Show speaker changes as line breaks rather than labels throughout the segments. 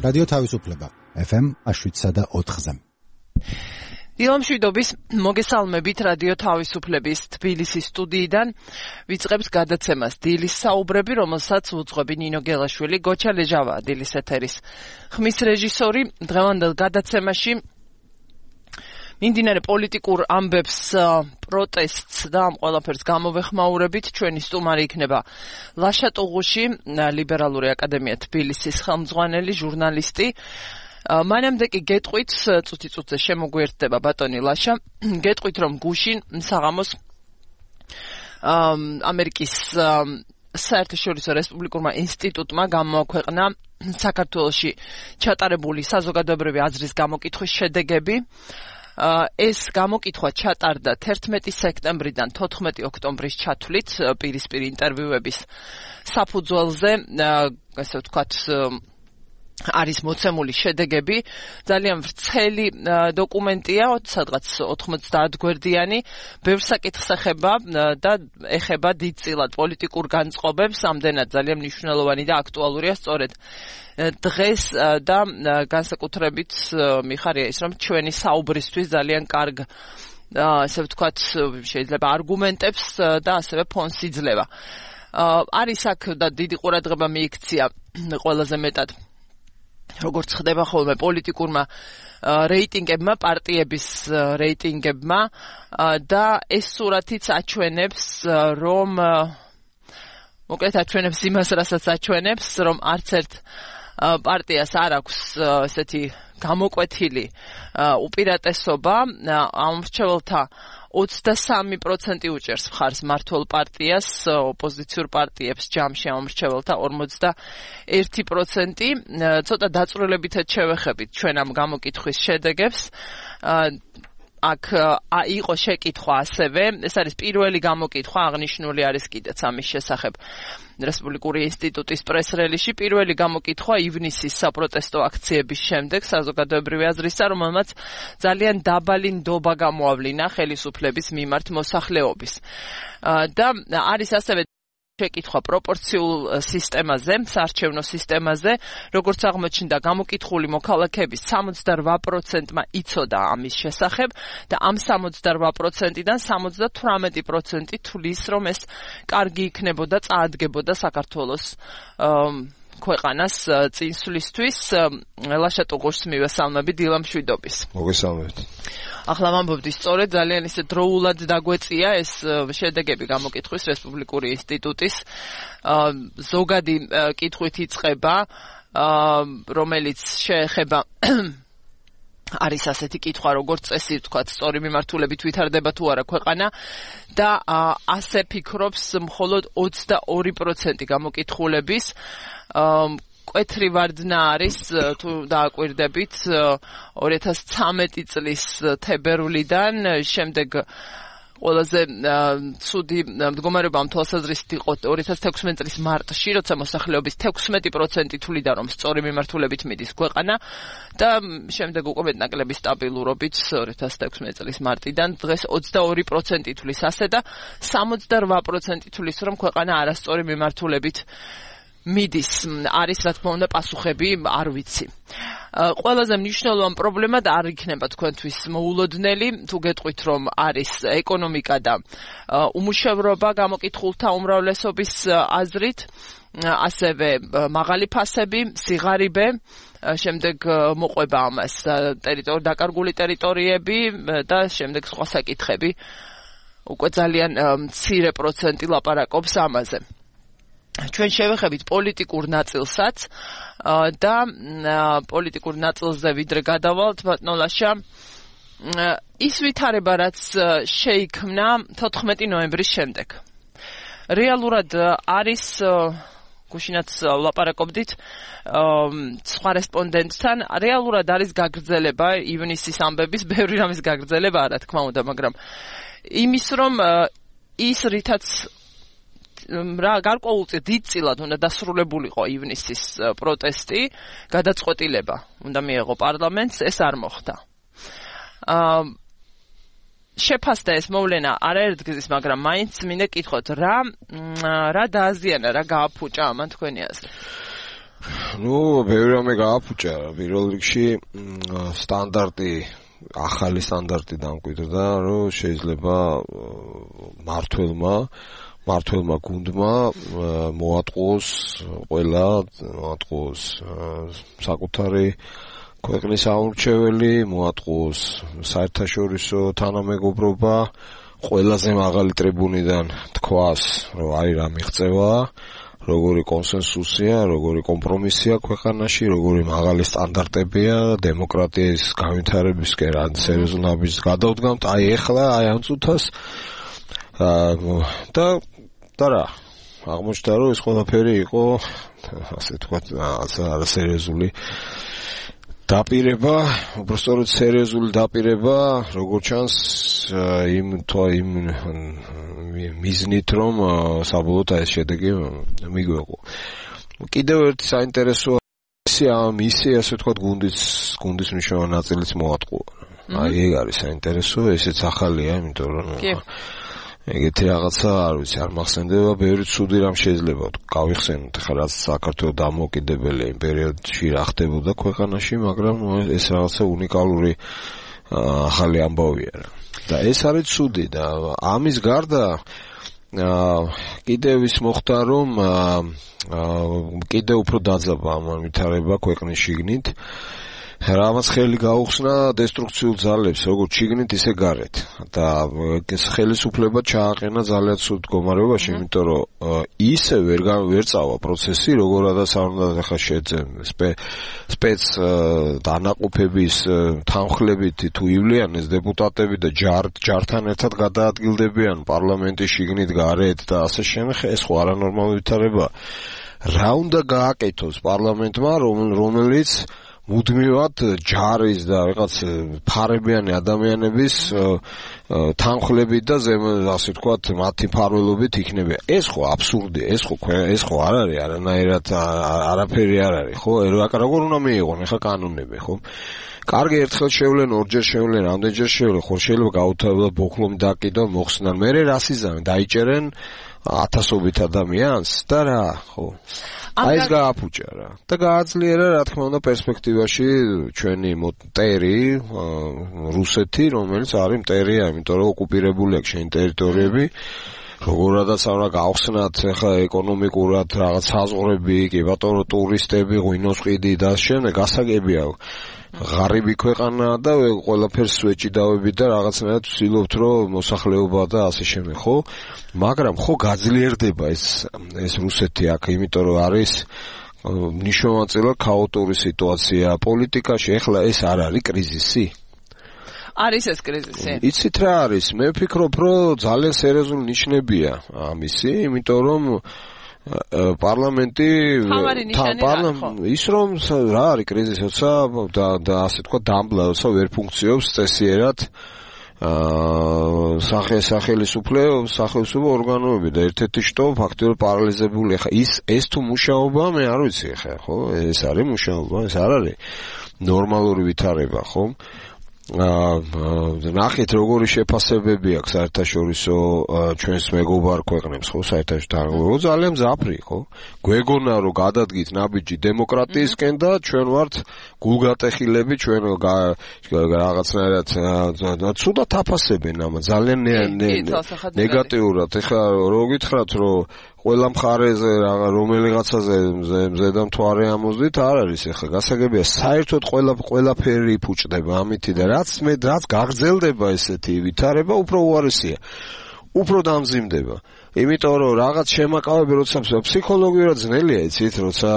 რადიო თავისუფლება FM 7.4-ზე.
დილამშვიდობის მოგესალმებით რადიო თავისუფლების თბილისის სტუდიიდან ვიწყებთ გადაცემას დილის საუბრები, რომელსაც უძღვები ნინო გელაშვილი, გოჩა ლეჟავა დილის ეთერის ხმის რეჟისორი. დღევანდელ გადაცემაში მიმდინარე პოლიტიკურ ამბებს, პროტესტს და ამ ყველაფერს გამოვეხმაურებით ჩვენი სტუმარი იქნება ლაშა ტუღუში, ლიბერალური აკადემია თბილისის ხელმძღვანელი, ჟურნალისტი. მანამდე კი გეტყვით, წუთი-წუთზე შემოგვიერთდება ბატონი ლაშა, გეტყვით რომ გუშინ საღამოს ამერიკის საერთაშორისო რესპუბლიკურმა ინსტიტუტმა გამოაქვეყნა საქართველოში ჩატარებული საზოგადოებრივი აზრის გამოკითხვის შედეგები. ეს გამოკითხვა ჩატარდა 11 სექტემბრიდან 14 ოქტომბრის ჩათვლით პირისპირ ინტერვიუების საფუძველზე, ასე ვთქვათ, არის მოცემული შედეგები. ძალიან ვრცელი დოკუმენტია, სადღაც 90 გვერდიანი, ბევრ საკითხს ეხება და ეხება დიდწილად პოლიტიკურ განწყობებს, ამდენად ძალიან მნიშვნელოვანი და აქტუალურია სწორედ დღეს და განსაკუთრებით მიხარია ის, რომ ჩვენი საუბრისთვის ძალიან კარგ, ასე ვთქვათ, შეიძლება არგუმენტებს და ასევე ფონს იძლევა. არის აქ და დიდი ყურადღება მიიქცია ყველაზე მეტად, როგორც ხდება ხოლმე პოლიტიკურმა რეიტინგებმა, პარტიების რეიტინგებმა და ეს სურათიც აჩვენებს, რომ მოკლედ აჩვენებს იმას, რასაც აჩვენებს, რომ არც ერთ პარტიას არ აქვს ესეთი გამოკვეთილი უპირატესობა. ამ მრჩეველთა 23% უჭერს მხარს მმართველ პარტიას, ოპოზიციურ პარტიებს ჯამში ამ მრჩეველთა 41%. ცოტა დაწვრილებითად შევეხებით ჩვენ ამ გამოკითხვის შედეგებს. აქ იყო შეკითხვა ასევე, ეს არის პირველი გამოკითხვა, აღნიშნული არის კიდეც ამის შესახებ რესპუბლიკური ინსტიტუტის პრეს-რელიზში, პირველი გამოკითხვა ივნისის საპროტესტო აქციების შემდეგ საზოგადოებრივი აზრისა, რომელმაც ძალიან დაბალი ნდობა გამოავლინა ხელისუფლების მიმართ მოსახლეობის. და არის ასევე შეკითხვა პროპორციულ სისტემაზე, საარჩევნო სისტემაზე, როგორც აღმოჩნდა, გამოკითხული მოქალაქეების 78%-მა იცოდა ამის შესახებ და ამ 78%-დან 78% თვლის, რომ ეს კარგი იქნებოდა, წაადგებოდა საქართველოს ქვეყანას წინსვლისთვის. ლაშა ტუღუშს მივესალმები, დილამშვიდობის.
მოგესალმებით.
ახლა ვამბობდი, სწორედ ძალიან ისე დროულად დაგვეწია ეს შედეგები გამოკითხვის რესპუბლიკური ინსტიტუტის. ზოგადი კითხვით იწყება, რომელიც შეეხება არის ასეთი კითხვა, როგორც წესი, ვთქვათ, სწორი მიმართულებით ვითარდება თუ არა ქვეყანა და ასე ფიქრობს მხოლოდ 22% გამოკითხულების. კვეთრი ვარდნა არის, თუ დააკვირდებით, 2013 წლის თებერვლიდან, შემდეგ ყველაზე ცუდი მდგომარეობა ამ თვალსაზრისით იყო 2016 წლის მარტში, როცა მოსახლეობის 16% თვლიდა, რომ სწორი მიმართულებით მიდის ქვეყანა და შემდეგ უკვე მეტნაკლები სტაბილურობით 2016 წლის მარტიდან დღეს 22% თვლის ასე და 68% თვლის, რომ ქვეყანა არასწორი მიმართულებით მიდის. არის, რა თქმა უნდა, პასუხები არ ვიცი. ყველაზე მნიშვნელოვანი პრობლემა და არ იქნება თქვენთვის მოულოდნელი, თუ გეტყვით, რომ არის ეკონომიკა და უმუშევრობა გამოკითხულთა უმრავლესობის აზრით, ასევე მაღალი ფასები, სიღარიბე, შემდეგ მოყვება ამას დაკარგული ტერიტორიები და შემდეგ სხვა საკითხები. უკვე ძალიან მცირე პროცენტი ლაპარაკობს ამაზე. ჩვენ შევეხებით პოლიტიკურ ნაწილსაც და პოლიტიკურ ნაწილზე ვიდრე გადავალთ, ბატონო ლაშა, ის ვითარება, რაც შეიქმნა 14 ნოემბრის შემდეგ. რეალურად არის, გუშინაც ლაპარაკობდით სხვა რესპონდენტთან, რეალურად არის გაგრძელება ივნისის ამბების, ბევრი რამის გაგრძელება არა, თქმა უნდა, მაგრამ იმის, რომ ის რითაც გარკვეულწილად დიდწილად უნდა დასრულებულიყო ივნისის პროტესტი, გადაწყვეტილება უნდა მიეღო პარლამენტს, ეს არ მოხდა. შეფასდა ეს მოვლენა არაერთგზის, მაგრამ მაინც მინდა კითხოთ, რა დააზიანა, რა გააფუჭა ამან თქვენი აზრით?
ბევრი რამე გააფუჭა. პირველ რიგში ახალი სტანდარტი დამკვიდრდა, რომ შეიძლება მართველმა გუნდმა მოატყუოს საკუთარი ქვეყნის აურჩეველი, მოატყუოს საერთაშორისო თანამეგობრობა, ყველაზე მაღალი ტრიბუნიდან თქვას, რომ არის რა მიღწევა, როგორი კონსენსუსია, როგორი კომპრომისია ქვეყანაში, როგორი მაღალი სტანდარტებია დემოკრატიის განვითარებისკენ, ან სერიოზულობის გადავდგამთ, ეხლა ამ წუთას და რა აღმოჩნდა, რომ ეს ყველაფერი იყო ასე თქვათ არასერიოზული დაპირება, უბრალოდ სერიოზული დაპირება, როგორც ჩანს იმ მიზნით, რომ საბოლოოდ ეს შედეგი მიგვეღო. კიდევ ერთი საინტერესო მისია, ასე თქვათ, გუნდის მნიშვნელოვანი ნაწილიც მოატყუა. ეგ არის საინტერესო, ესეც ახალია, იმიტომ რომ ეგეთი რაღაცა არ ვიცი, არ მახსენდება, ბევრი ცუდი რამ შეიძლება გავიხსენოთ, ხა რაც საქართველოს დამოუკიდებელი იმ პერიოდში რა ხდებოდა ქვეყანაში, მაგრამ ეს რაღაცა უნიკალური ახალი ამბავია რა. და ეს არის ცუდი და ამის გარდა კიდევ ის მოხდა, რომ კიდევ უფრო დაძაბა ამ ვითარება ქვეყნის შიგნით. რამაც ხელი გაუხსნა დესტრუქციულ ძალებს, როგორც შიგნით, ისე გარეთ. და ეს ხელისუფლება ჩააყენა ძალიან ცუდ მდგომარეობაში, იმიტომ რომ ისე ვერ წავა პროცესი, როგორადაც არ უნდა ხა სპეც დანაყოფების თანხლებით თუ ივლიანეს დეპუტატები და ჯართან ერთად გადაადგილდებიან პარლამენტის შიგნით გარეთ და ასე შემდეგ, ეს ხო არანორმალური ვითარება. რა უნდა გააკეთოს პარლამენტმა, რომელიც მუდმივად ჯარის და რაღაც ფარებიანი ადამიანების თანხლებით და ასე ვთქვათ, მათი ფარველობით იქნება. ეს ხო აბსურდია, ეს ხო არ არის არანაირად არაფერი არ არის, ხო? როგორ უნდა მიიღონ ახლა კანონები, ხო? კარგი, ერთხელ შევლენ, ორჯერ შევლენ, რამდენჯერ შევლენ, ხო შეიძლება გაუთავებლად ბოქლომი დაკიდონ, მოხსნან, მერე რას იზამენ, დაიჭერენ ათასობით ადამიანს და რა, ხო? ეს გააფუჭა რა. და გააძლიერა, რა თქმა უნდა, პერსპექტივაში ჩვენი მტერი რუსეთი, რომელიც არის მტერია, იმიტომ რომ ოკუპირებული აქვს შენი ტერიტორიები. როგორადაც არა გავხსნათ ახლა ეკონომიკურად რაღაც საზღვრები, კი ბატონო, ტურისტები, ღვინოს ყიდი და შემდეგ გასაგებია. ღარიბი ქვეყანა და ყველაფერს ვეჭიდავებით და რაღაცნაირად ვცდილობთ, რომ მოსახლეობა და ასე შემდეგ, ხო? მაგრამ ხო გაძლიერდება ეს რუსეთი აქ, იმიტომ რომ არის მნიშვნელოვანი ქაოტური სიტუაცია პოლიტიკაში. ეხლა ეს არ არის კრიზისი?
არის ეს კრიზისი?
იცით რა არის? მე ვფიქრობ, რომ ძალიან სერიოზული ნიშნებია ამისი, იმიტომ რომ პარლამენტი ის რომ რა არის კრიზისი, როცა და ასე თქვა დამბლა, როცა ვერ ფუნქციონობს წესიერად სახელმწიფო ორგანოები და ერთ-ერთი შტო ფაქტობრივად პარალიზებული. ხა ეს თუ მუშაობა, მე არ ვიცი ხა, ხო? ეს არის მუშაობა, ეს არ არის ნორმალური ვითარება, ხო? ნახეთ როგორი შეფასებები აქვს საერთაშორისო ჩვენს მეგობარ ქვეყნებს, ხო, საერთაშორისო ძალიან მძაფრი, ხო? გვეგონა რომ გადადგით ნაბიჯი დემოკრატიისკენ და ჩვენ ვართ გულგატეხილები, ჩვენ რაღაცნაირად ცუდად აფასებენ ამ ძალიან ნეგატიურად. ეხლა რო გითხრათ, რომ ყველა მხარეზე რომელიღაცაზე მზედა მთვარე ამოздით არ არის ეხლა გასაგებია საერთოდ ყველაფერი იფუჭდება ამითი და რაც გაგრძელდება ესეთი ვითარება უფრო უარესია უფრო დამძიმდება იმიტომ რომ რაღაც შემაკავები როცა ფსიქოლოგიურად ძნელია იცით როცა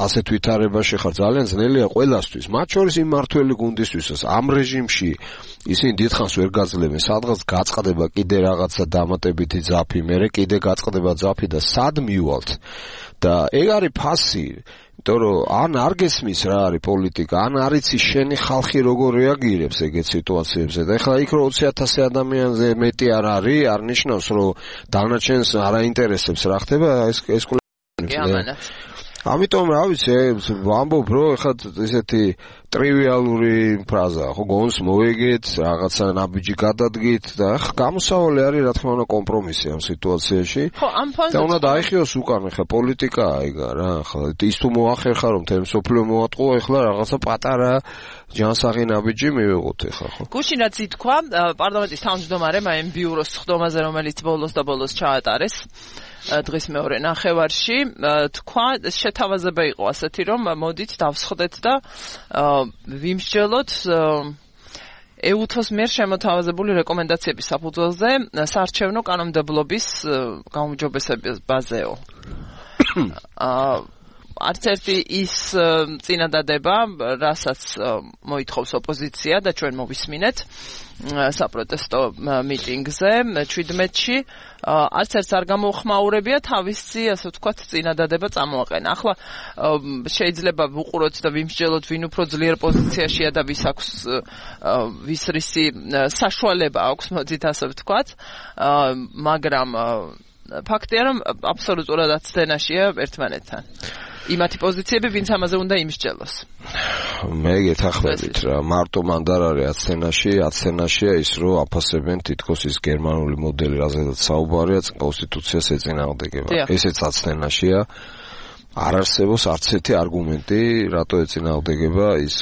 ასეთ ვითარებაში ხარ ძალიან ძნელია ყველასთვის მათ შორის იმ მართველი გუნდისთვისაც ამ რეჟიმში ისინი დიდხანს ვერ გაძლევენ სადღაც გაწყდება კიდე რაღაცა დამატებითი ძაფი მერე კიდე გაწყდება ძაფი და სად მივალთ და ეგ არის ფასი იმიტომ რომ ან არ გესმის რა არის პოლიტიკა ან არ იცი შენი ხალხი როგორ რეაგირებს ეგეთ სიტუაციებზე და ეხლა იქ რომ 20,000 ადამიანზე მეტი არ არის არ ნიშნავს რომ დანარჩენს არ აინტერესებს რა ხდება ეს ამიტომ რა ვიცი ვამბობ რომ ეხლა ესეთი ტრივიალური ფრაზაა, ხო, გონს მოიგეთ, რაღაცა ნაბიჯი გადადგით და გამოსავალი არის რა თქმა უნდა კომპრომისი ამ სიტუაციაში.
ხო, ამ ფონზე
და უნდა დაიხიოს უკან, ხა პოლიტიკაა იგა რა, ხა ის თუ მოახერხა რომ თემ სოფლიო მოატყუა, ეხლა რაღაცა პატარა ჯანსაღი ნაბიჯი მივიღოთ ეხლა, ხო.
გუშინ რაც ითქვა პარლამენტის თავმჯდომარემ ამ ბიუროს ხდომაზე, რომელიც ბოლოს ჩაატარეს დღის მეორე ნახევარში, თქვა შეთავაზება იყო ასეთი, რომ მოდით დავსხდეთ და ვიმსჯელოთ ეუთოს მიერ შემოთავაზებული რეკომენდაციების საფუძველზე საარჩევნო კანონმდებლობის გაუმჯობესებაზეო. არც ერთი ის წინადადება, რასაც მოითხოვს ოპოზიცია და ჩვენ მოვისმინეთ საპროტესტო მიტინგზე 17-ში, არც ერთს არ გამოუხმაურებია თავისი, ასე ვთქვათ, წინადადება წამოაყენა. ახლა შეიძლება ვუყუროთ და ვიმსჯელოთ, ვინ უფრო ძლიერ პოზიციაშია და ვის რისი საშუალება აქვს, მოდით ასე ვთქვათ, მაგრამ ფაქტია, რომ აბსოლუტურად აცდენაშია ერთმანეთთან. იმათი პოზიციები, ვინც ამაზე უნდა იმსჯელოს.
მე გეთახმებით რა, მარტო მანდ არ არის აცდენაშია ის, რომ აფასებენ თითქოს ის გერმანული მოდელი, რაზედაც საუბარია, კონსტიტუციას ეწინააღმდეგება. ესეც აცდენაშია. არ არსებობს არც ერთი არგუმენტი, რატო ეწინააღმდეგება ის,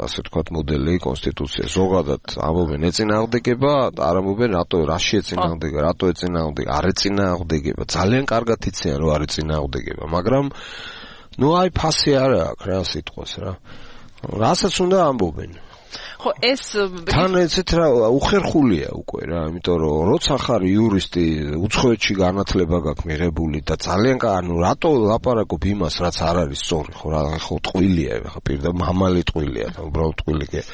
ასე ვთქვათ, მოდელი კონსტიტუცია. ზოგადად ამბობენ ეწინააღმდეგება, არ ამბობენ რაში ეწინააღმდეგება, რატო ეწინააღმდეგება, არ ეწინააღმდეგება. ძალიან კარგად იციან, რომ არ ეწინააღმდეგება, მაგრამ აი ფასი არ აქვს რა სიტყვას რა. რასაც უნდა ამბობენ.
ხო, ეს
თან ეცეთ რა უხერხულია უკვე რა, იმიტომ რომ როცა ხარ იურისტი, უცხოეთში განათლება გაქვს მიღებული და ძალიან რატო ლაპარაკობ იმას, რაც არ არის სწორი, ხო რა, ხო ტყუილია, ხო პირდა მამალი ტყუილია, უბრალოდ ტყუილია.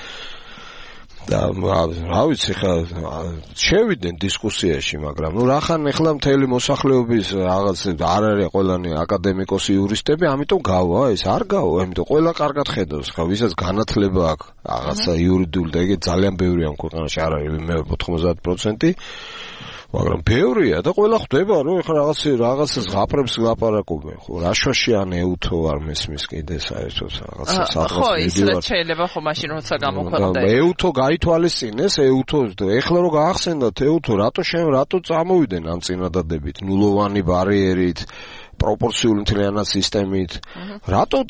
და რა ვიცი ხა შევიდნენ დისკუსიაში, მაგრამ რახან ეხლა მთელი მოსახლეობის რაღაც არ არის ყველანი აკადემიკოსი იურისტები, ამიტომ გავა ეს არ გავა, ამიტომ ყველა კარგად ხედავს, ხა ვისაც განათლება აქვს რაღაცა იურიდიული და ეგ ძალიან ბევრია ამ ქვეყანაში, არ არის მე 90%, მაგრამ ბევრია და ყველა ხვდება, რომ ეხლა რაღაცას ღაპრებს ლაპარაკობენ, ხო, რაშვაში ან ეუთო არ მესმის კიდე საერთოდ რაღაცა სადღაც
ხო, ის შეიძლება ხო მაშინ როცა გამოქვეყნდა.
ეუთო გაითვალისწინეს, ეუთო ეხლა რო გაახსენდათ ეუთო, რატო წამოვიდნენ ამ წინადადებით, ნულოვანი ბარიერით, პროპორციული მთლიანად სისტემით. რატო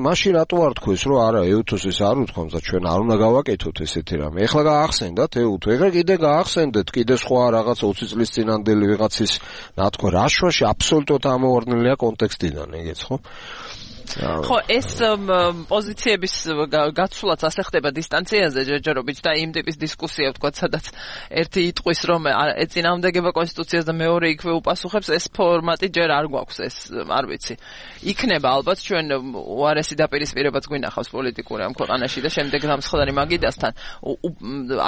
მაშინ რატო არ თქვეს, რომ არა ეუთოს ეს არ უთქვამს და ჩვენ არ უნდა გავაკეთოთ ესეთი რამე. ეხლა გაახსენდათ ეუთო, ეხლა კიდე გაახსენდეთ, კიდე სხვა რაღაც 20 წლის წინანდელი ვიღაცის ნათქვა რაშვაში აბსოლუტურად ამოვარდნილია კონტექსტიდან, ეგეც ხო?
ხო, ეს პოზიციების გაცვლაც ასე ხდება დისტანციაზე ჯერჯერობით და იმ ტიპის დისკუსია ვთქვათ, სადაც ერთი იტყვის რომ ეწინააღმდეგება კონსტიტუციას და მეორე იქვე უპასუხებს, ეს ფორმატი ჯერ არ გვაქვს, ეს არ ვიცი. იქნება ალბათ ჩვენ უარესი დაპირისპირებაც გვინახავს პოლიტიკური ამ ქვეყანაში და შემდეგ რამსხვდარი მაგიდასთან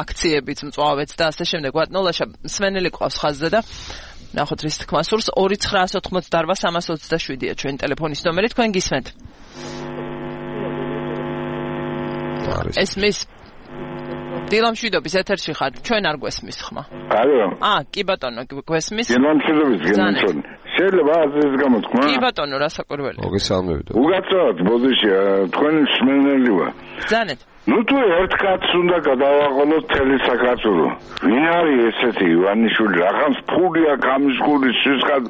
აქციებიც, მწვავეც და ასე შემდეგ. ვატნოლაშა სვენელი ყავს ხაზზე და ნახოთ რის თქმა სურს 2988-327-ია ჩვენი ტელეფონის ნომერი, თქვენ გისმენთ. ესმის დილამშვიდობის ეთერში ხარ, ჩვენ არ გვესმის ხმა.
ალო.
კი ბატონო, გვესმის.
დილამშვიდობის გენჩონ. შეიძლება აზრის გამოთქმა?
კი ბატონო, რასაკვირველია.
მოგესალმებით.
უგაცრავად პოზიცია, თქვენი სმენელი ვარ.
ბრძანეთ.
თუ ერთ კაცს უნდა გადავაყოლოთ მთელი საქართველო. ვინ არის ესეთი ივანიშვილი? რახანს ფული აქვს ამის გულის სისხლად,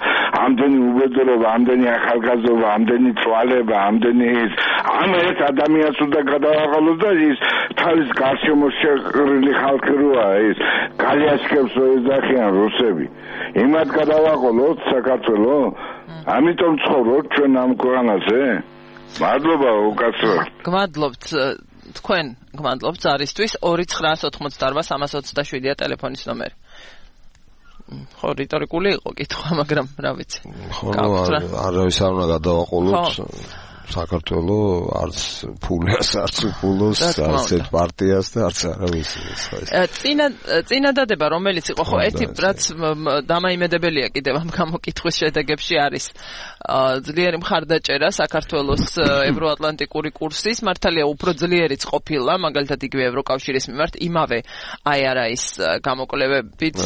ამდენი უბედურობა, ამდენი ახალგაზრდობა, ამდენი წვალება, ამდენი ის. ამ ერთ ადამიანს უნდა გადავაყოლოთ და ის თავის გარშემო შეყრილი ხალხი როა ის. გალიაშკებს რო ეძახიან რუსები. იმათ გადავაყოლოთ საქართველო? ამიტომ ცხოვრობთ ჩვენ ამ ქვეყანაზე? მადლობა უკაცრავად.
გმადლობთ. თქვენ გმადლობთ ზარისთვის 2988-327-ია ტელეფონის ნომერი. ხო, რიტორიკული იყო კითხვა, მაგრამ რა ვიცი.
ხო, არავის არ უნდა გადავაყოლოთ საქართველო, არც ფულს, არც უფულოს, არც პარტიას და არც არავის.
წინადადება რომელიც იყო, ხო, ერთი რაც დამაიმედებელია კიდევ ამ გამოკითხვის შედეგებში არის ძლიერი მხარდაჭერა საქართველოს ევროატლანტიკური კურსის, მართალია უფრო ძლიერიც ყოფილა, მაგალითად იგივე ევროკავშირის მიმართ, იმავე IRA-ის გამოკვლევებით.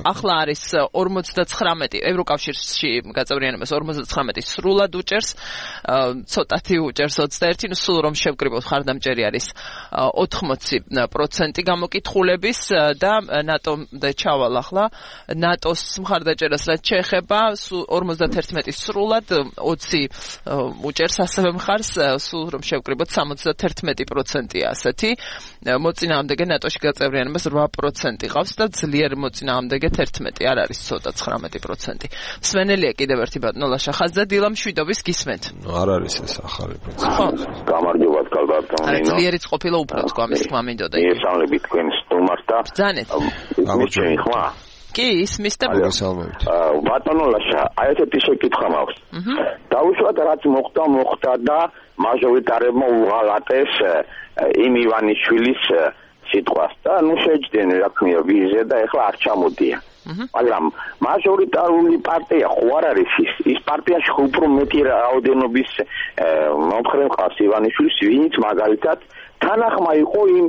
ახლა არის 49 ევროკავშირში გაწევრიანებას 59 სრულად უჭერს ცოტათი უჭერს 21, სულ რომ შევკრიბოთ ხარდამჭერი არის 80% გამოკითხულების და ნატომდე ჩავალ ახლა ნატოს მხარდაჭერას რაც შეეხება 51 სრულად 20 უჭერს ასევე მხარს სულ რომ შევკრიბოთ 71%-ია ასეთი მოწინააღმდეგე ნატოში გაწევრიანებას 8% ყავს და ძლიერ მოწინააღმდეგე 11 არ არის ცოტა 19%. სვენელია კიდევ ერთი ბატონო ლაშახაძე დილა მშვიდობის გისმენთ.
არ არის ეს ახალი პრინციპი.
ხო.
გამარჯობა კალბატონო.
არა ძლიერიც ყოფილა უფრო თქვა ამის თქმა მინდოდა.
ესალები თქვენ სტუმარს და
ბრძანეთ.
გამარჯობა ხმა.
კი, ისმის და
მოგესალმებით.
ბატონო ლაშა, აი ესეთი შეკითხვა მაქვს. დაუშვათ რაც მოხდა და მაჟორიტარებმა უღალატეს იმ ივანიშვილის სიტყვას და ნუ შეჯდნენ რა თქმა ვიზა და ეხლა არ ჩამოდია. მაგრამ მაჟორიტარული პარტია ხო არ არის ის პარტიაში ხო უფრო მეტი რაოდენობის მომხრე მყავს ივანიშვილის ვინც მაგალითად თანახმა იყო იმ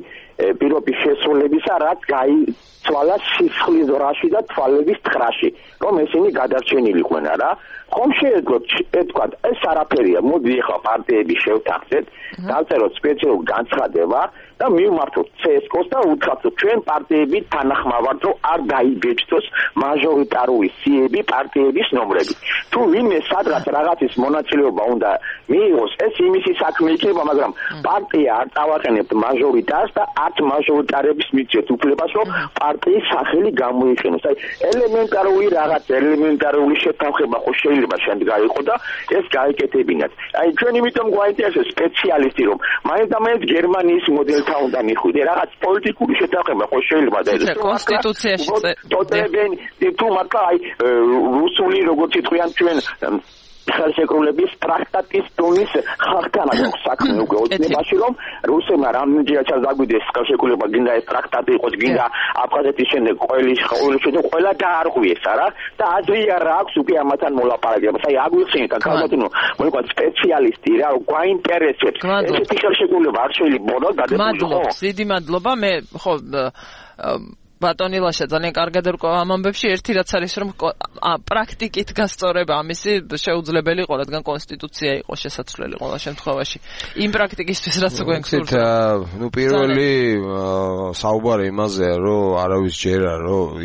პირობის შესრულებისა რაც გაიცვალა სისხლის ზრაში და თვალების თხრაში რომ ესენი გადარჩენილიყვნენ რა ხომ შეეძლოთ ეთქვათ ეს არაფერია მოდი ახლა პარტიები შევთანხმდეთ დავწეროთ სპეციალური განცხადება და მივმართოთ CSKO-ს და უთხრათ ჩვენ პარტიები თანახმა ვართ რომ არ დაიბეჭდოს მაჟორიტარული სიები პარტიების ნომრები თუ ვინმე სადღაც რაღაცის მონაწილეობა უნდა მიიღოს ეს იმისი საქმე იქნება მაგრამ პარტია არ წავაყენებთ მაჟორიტარს და 10 მაჟორიტარების მიწევთ უფლებას რომ პარტიის სახელი გამოიყენოს აი ელემენტარული შეთანხმება ხო შეიძლება შემდეგ აიყო და ეს გაიკეთებინათ აი ჩვენ იმიტომ გვაინტერესებს სპეციალისტი რომ მაინც და მაინც გერმანიის მოდელთან უნდა მიხვიდე რაღაც პოლიტიკური შეთანხმება ხო შეიძლება და ეს
კონსტიტუციაში
ტოტებენ თუ მართლა აი რუსული როგორც იტყვიან ჩვენ ხელშეკრულების ტრაქტატის დონის ხალხთან აქვს საქმე უკვე ოცნებაში რომ რუსებმა რამდენჯერაც დაგვიდეს ხელშეკრულება გინდა ეს ტრაქტატი იყოს გინდა აფხაზეთის შემდეგ ყველა დაარღვიეს რა და აზრია რა აქვს უკვე ამათან მოლაპარაკებას აი აგვიხსენეთ ახალბატონო მოიყვანთ სპეციალისტი რა გვაინტერესებს ესეთი ხელშეკრულება არ შეიძლება
მადლობა დიდი მადლობა მე ხო ბატონი ლაშა ძალიან კარგად ერკვა ამ ამბებში ერთი რაც არის რომ პრაქტიკით გასწორება ამისი შეუძლებელი იყო რადგან კონსტიტუცია იყო შესაძლებელი ყველა შემთხვევაში იმ პრაქტიკისთვის რაც გვენ გსურთ
ნუ პირველი საუბარი იმაზეა რომ არავის ჯერა რომ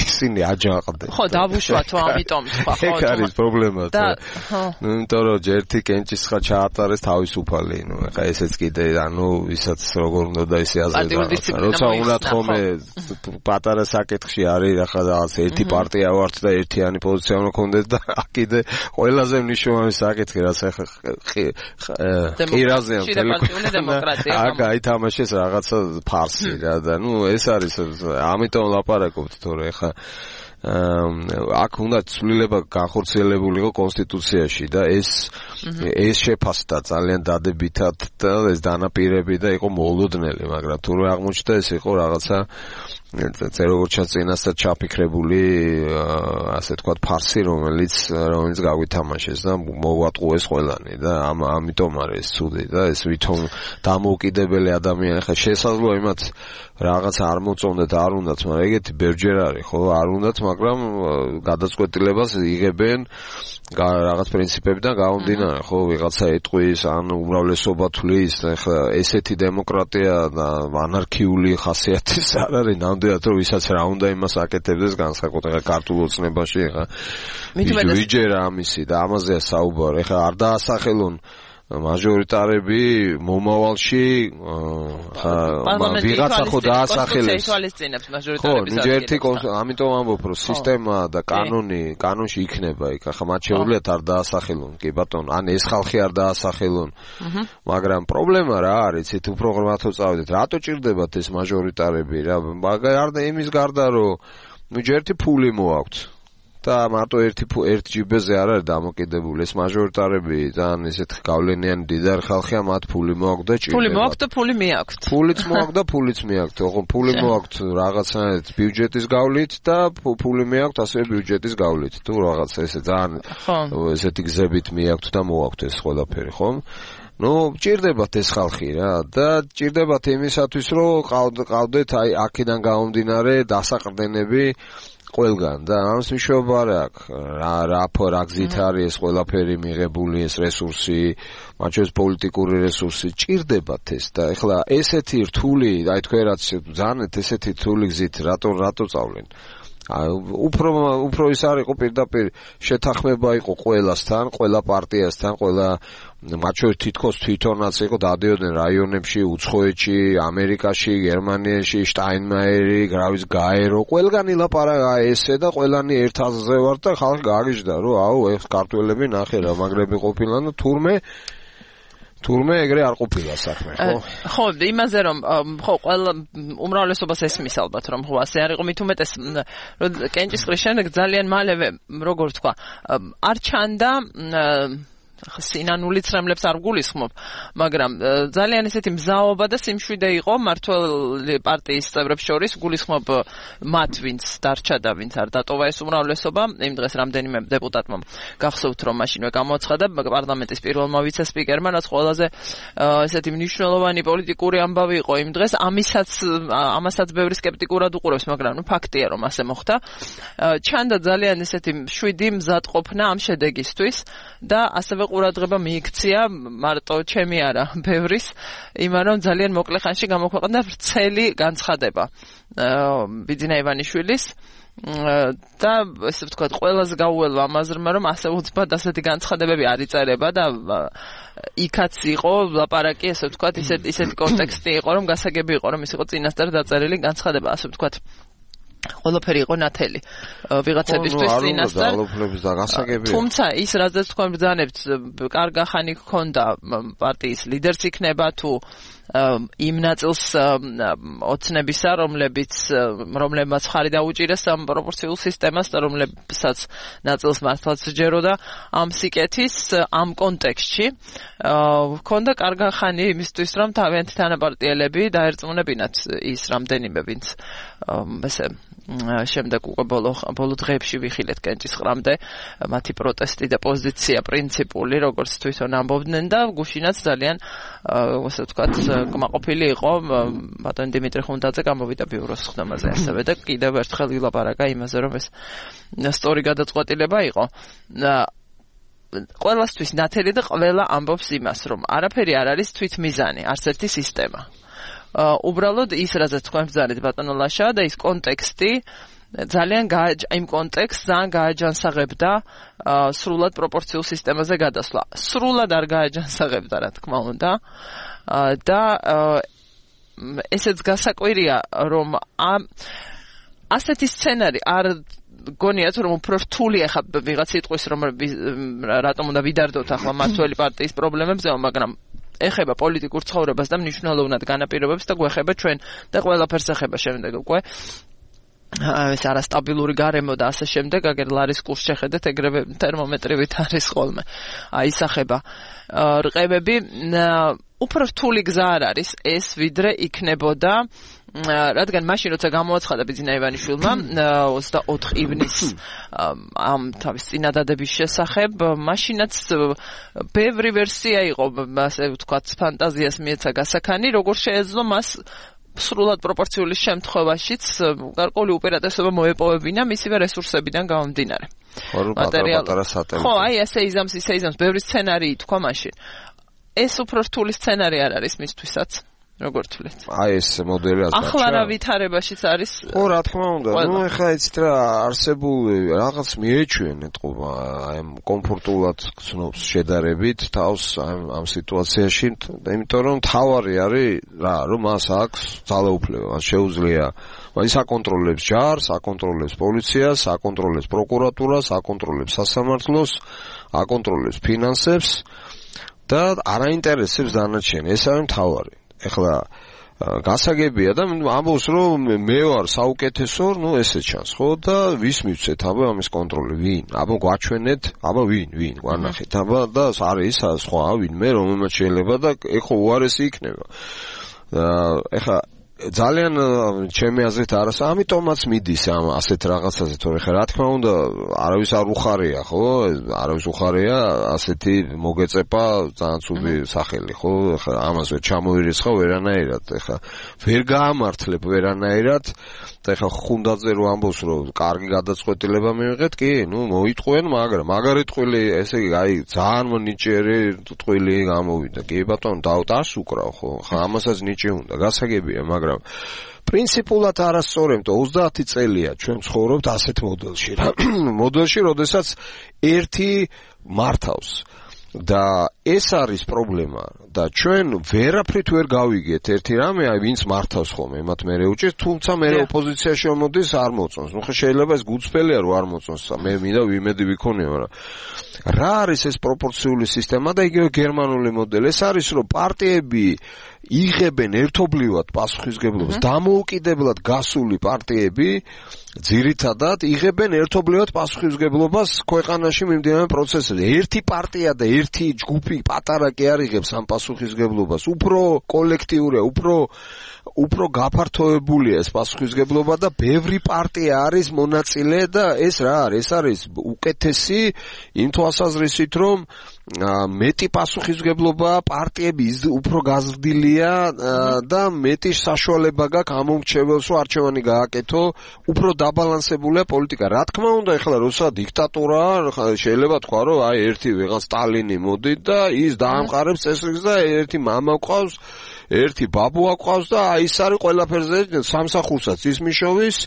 ისინი აჯანყდნენ
ხო დავუშვათო ამიტომ სხვა ხო
ეგ არის პრობლემა ნუ იმიტომ რომ ჯერთი კენჭისხა ჩაატარეს თავისუფალი ნუ ეხა ესეც კიდე ანუ ვისაც როგორ უნდა და ისე აზრდა როცა უნდათ ხოლმე პატარა საკითხში არის ახლა რაღაც ერთი პარტია ვართ და ერთიანი პოზიცია უნდა გქონდეს და კიდე ყველაზე მნიშვნელოვანი საკითხი რაც ახლა ყირაზეა
demokratიული დემოკრატია
აა გაითამაშეს რაღაცა ფარსი რა და ნუ ეს არის ამიტომ ლაპარაკობთ თორე ახლა აქ უნდა ცვლილება განხორციელებულიყო კონსტიტუციაში და ეს შეფასდა ძალიან დადებითად და ეს დანაპირები და იყო მოულოდნელი მაგრამ თუ აღმოჩნდა ეს იყო რაღაცა როგორც წინასწარ ჩაფიქრებული ასე თქვათ ფარსი რომელიც გავითამაშეს და მოვატყუეს ყველანი და ამიტომ არის ცუდი და ეს ვითომ დამოუკიდებელი ადამიანი ხა შესაძლოა იმათ რაღაც არ მოწონდეთ არ უნდათ მაგრამ ეგეთი ბერჯერ არის ხო არ უნდათ მაგრამ გადაწყვეტილებას იღებენ რაღაც პრინციპებიდან გამომდინარე ხო ვიღაცა ეტყვის ან უმრავლესობა თვლის ხა ესეთი დემოკრატია და ანარქიული ხასიათის არ არის ნამდვილად რომ ვისაც რა უნდა იმას აკეთებდეს განსაკუთრებით ქართულ ოცნებაში ხა ვიჯერა ამისი და ამაზეა საუბარი ხა არ დაასახელონ მაჟორიტარები მომავალში ვიღაცა ხო დაასახელეს ხო ნიჯერთი ამიტომ ამბობ რომ სისტემა და კანონში იქნება იქ ახლა მათ შეუძლიათ არ დაასახელონ კი ბატონო ან ეს ხალხი არ დაასახელონ მაგრამ პრობლემა რა არის იცით უფრო ღრმათო წავიდეთ რატო ჭირდებათ ეს მაჟორიტარები რა არ და იმის გარდა რომ ნიჯერთი ფული მოაქვთ და მარტო ერთ ჯიბეზე არ არის დამოკიდებული ეს მაჟორიტარები ძალიან ესეთ გავლენიანი დიდარ ხალხია მათ ფული მოაქვთ და ჭირდება
ფული მოაქვთ და ფული მიაქვთ
ფულიც მოაქვთ და ფულიც მიაქვთ ხო ფული მოაქვთ რაღაცნაირად ბიუჯეტის გავლით და ფული მიაქვთ ასევე ბიუჯეტის გავლით თუ რაღაც ესე ძალიან ესეთი გზებით მიაქვთ და მოაქვთ ეს ყველაფერი ხომ ნუ ჭირდებათ ეს ხალხი რა და ჭირდებათ იმისათვის რომ ყავდეთ აი აქედან გამომდინარე დასაყრდენები ყველგან და ამის მნიშვნელობა არ აქვს რა გზით არის ეს ყველაფერი მიღებული ეს რესურსი მათ შორის პოლიტიკური რესურსი ჭირდებათ ეს და ეხლა ესეთი რთული აი თქვენ რაც ზანეთ ესეთი რთული გზით რატო წავლენ უფრო ის არ იყო პირდაპირ შეთანხმება იყო ყველასთან ყველა პარტიასთან ყველა მათ შორის თითქოს თვითონაც იყო დადიოდნენ რაიონებში უცხოეთში ამერიკაში გერმანიაში შტაინმაიერი გრავის გაერო ყველგან ილაპარაკა ესე და ყველანი ერთ აზრზე ვარ და ხალხი გააგიჟდა რომ აუ ეს ქართველები ნახე რა მაგრები ყოფილან და თურმე ეგრე არ ყოფილა საქმე ხო
ხო იმაზე რომ ხო ყველა უმრავლესობას ესმის ალბათ რომ ხო ასე არ იყო მით უმეტეს რომ კენჭისყრის შემდეგ ძალიან მალევე როგორ თქვა არ ჩანდა სინანულიც რამლებს არ გულისხმობ, მაგრამ ძალიან ესეთი მზაობა და სიმშვიდე იყო მმართველი პარტიის წევრებს შორის გულისხმობ მათ ვინც დარჩა და ვინც არ დატოვა ეს უმრავლესობა, იმ დღეს რამდენიმე დეპუტატმა გახსოვთ რომ მაშინვე გამოაცხადა პარლამენტის პირველმა ვიცე-სპიკერმა, რაც ყველაზე ესეთი მნიშვნელოვანი პოლიტიკური ამბავი იყო იმ დღეს, ამასაც ბევრი სკეპტიკურად უყურებს, მაგრამ ნუ ფაქტია რომ ასე მოხდა. ჩანდა ძალიან ესეთი მშვიდი მზადყოფნა ამ შედეგისთვის და ასევე ყურადღება მიიქცია მარტო ჩემი არა ბევრის იმან რომ ძალიან მოკლე ხანში გამოქვეყნდა ვრცელი განცხადება ბიძინა ივანიშვილის და ესე ვთქვათ ყველას გაუელვა ამაზრმა რომ ასე უცბად ასეთი განცხადებები არ იწერება და იქაც იყო ლაპარაკი ესე ვთქვათ ისეთი კონტექსტი იყო რომ გასაგები იყო რომ ის იყო წინასწარ დაწერილი განცხადება ასე ვთქვათ ყველაფერი იყო ნათელი ვიღაცებისთვის წინასწარ თუმცა ის რაზეც თქვენ ბრძანებთ კარგა ხანი გქონდა პარტიის ლიდერს იქნება თუ იმ ნაწილს ოცნებისა რომლებმაც ხარი დაუჭირეს ამ პროპორციულ სისტემას და რომლებსაც ნაწილს მართლაც სჯეროდა ამ სიკეთის ამ კონტექსტში გქონდა კარგა ხანი იმისთვის რომ თავიანთი თანაპარტიელები დაერწმუნებინათ ის რამდენიმე ვინც ესე შემდეგ უკვე ბოლო დღეებში ვიხილეთ კენჭისყრამდე მათი პროტესტი და პოზიცია პრინციპული როგორც თვითონ ამბობდნენ და გუშინაც ძალიან ასე ვთქვათ კმაყოფილი იყო ბატონ დიმიტრი ხუნდაძე გამოვიდა ბიუროს ხდომაზე ასევე და კიდევ ერთხელ ვილაპარაკა იმაზე რომ ეს სწორი გადაწყვეტილება იყო ყველასთვის ნათელი და ყველა ამბობს იმას რომ არაფერი არ არის თვითმიზანი არც ერთი სისტემა უბრალოდ ის რაზეც თქვენ ბრძანეთ ბატონო ლაშა და ის კონტექსტი ძალიან იმ კონტექსტს ძალიან გააჯანსაღებდა სრულად პროპორციულ სისტემაზე გადასვლა. სრულად არ გააჯანსაღებდა რა თქმა უნდა და ესეც გასაკვირია რომ ასეთი სცენარი არ გონიათ რომ უფრო რთული ახლა ვიღაც იტყვის რომ რატომ უნდა ვიდარდოთ ახლა მმართველი პარტიის პრობლემებზე მაგრამ ეხება პოლიტიკურ ცხოვრებას და მნიშვნელოვნად განაპირობებს და გვეხება ჩვენ და ყველაფერს ეხება შემდეგ უკვე ეს არასტაბილური გარემო და ასე შემდეგ აგერ ლარის კურსს შეხედეთ ეგრევე თერმომეტრივით არის ხოლმე აი ისახება რყევები უფრო რთული გზა არ არის ეს ვიდრე იქნებოდა რადგან მაშინ როცა გამოაცხადა ბიძინა ივანიშვილმა 24 ივნისს ამ თავის წინადადების შესახებ მაშინაც ბევრი ვერსია იყო ასე ვთქვათ ფანტაზიას მიეცა გასაქანი როგორ შეეძლო მას სრულად პროპორციული შემთხვევაშიც გარკვეული უპირატესობა მოეპოვებინა მისივე რესურსებიდან გამომდინარე ხო აი ესე იზამს ბევრი სცენარი თქვა მაშინ ეს უფრო რთული სცენარი არ არის მისთვისაც როგორ თვლით?
აი ეს მოდელი რაც
ახლა რა ვითარებაშიც არის?
ხო, რა თქმა უნდა. ნუ ეხლა იცით რა არსებული რაღაც მიეჩვენეთ ყობა აი კომფორტულად გწნობს შედარებით თავს ამ სიტუაციაში, იმიტომ რომ თავარი არის რა, რომ მას აქვს ძალაუფლება, მას შეუძლია ის აკონტროლებს ჯარს, აკონტროლებს პოლიციას, აკონტროლებს პროკურატურას, აკონტროლებს სასამართლოს, აკონტროლებს ფინანსებს და არაინტერესებს დანარჩენი. ეს არის თავარი. ეხლა გასაგებია და ამბობს რომ მე ვარ საუკეთესო, ნუ ესე ჩანს, ხო და ვის მივცეთ აბა ამის კონტროლი, ვინ? აბა გვაჩვენეთ, აბა ვინ გვანახეთ, აბა და არის სხვა ვინმე რომელმაც შეიძლება და ეხლა უარესი იქნება. ეხლა ძალიან ჩემი აზრით არასა, ამიტომაც მიდის ამ ასეთ რაღაცაზე, თორე ხა რა თქმა უნდა, არავის არ უხარია, ხო? არავის უხარია ასეთი მოგეწეპა ძალიან ცუდი სახელი, ხო? ხა ამას ვერ ჩამოირიცხავ ვერანაირად, ხა ვერ გაამართლებ ვერანაირად. ეხლა ხუნდაძე რო ამბობს რომ კარგი გადაწყვეტილება მივიღეთ, კი, მოიტყვენ, მაგრამ მაგარი ტყვილი, ესე იგი, აი, ძალიან ნიჭიერი ტყვილი გამოვიდა. კი, ბატონო, დავტასუკრავ, ხო? ხა ამასაც ნიჭი უნდა, გასაგებია, მაგრამ პრინციპულად არასწორი, იმიტომ 30 წელია ჩვენ ცხოვრობთ ასეთ მოდელში. მოდელში, როდესაც ერთი მართავს. და ეს არის პრობლემა და ჩვენ ვერაფრით ვერ გავიგეთ ერთი რამე, აი ვინც მართავს ხოლმე, მათ მე უჭირს, თუმცა მე ოპოზიციაში მოდის არ მოწონს. ნუ ხა შეიძლება ეს გუწფელია რომ არ მოწონს, მე მინდა ვიმედი ვიქონია, მაგრამ რა არის ეს პროპორციული სისტემა და იგივე გერმანული მოდელი? ეს არის რომ პარტიები იღებენ ერთობლივად პასუხისგებლობას, დამოუკიდებლად გასული პარტიები ძირითადად იღებენ ერთობლივად პასუხისგებლობას ქვეყანაში მიმდინარე პროცესებზე. ერთი პარტია და ერთი ჯგუფი პატარა კი არ იღებს ამ პასუხისგებლობას. უფრო კოლექტიურია, უფრო გაფართოებულია ეს პასუხისგებლობა და ბევრი პარტია არის მონაწილე და ეს რა არის? ეს არის უკეთესი იმ თვალსაზრისით, რომ მეტი პასუხისგებლობა პარტიები უფრო გაზრდილია და მეტი საშუალება გაქვს ამომრჩეველს რომ არჩევანი გააკეთო, უფრო დაბალანსებულია პოლიტიკა. რა თქმა უნდა, ეხლა როცა დიქტატურა შეიძლება თქვა რომ აი ერთი ვიღაც სტალინი მოდით და ის დაამყარებს წესრიგს და ერთი მამა ყავს, ერთი ბაბუა ყავს და აი ის არის ყველაფერზე სამსახურსაც ის მიშოვის,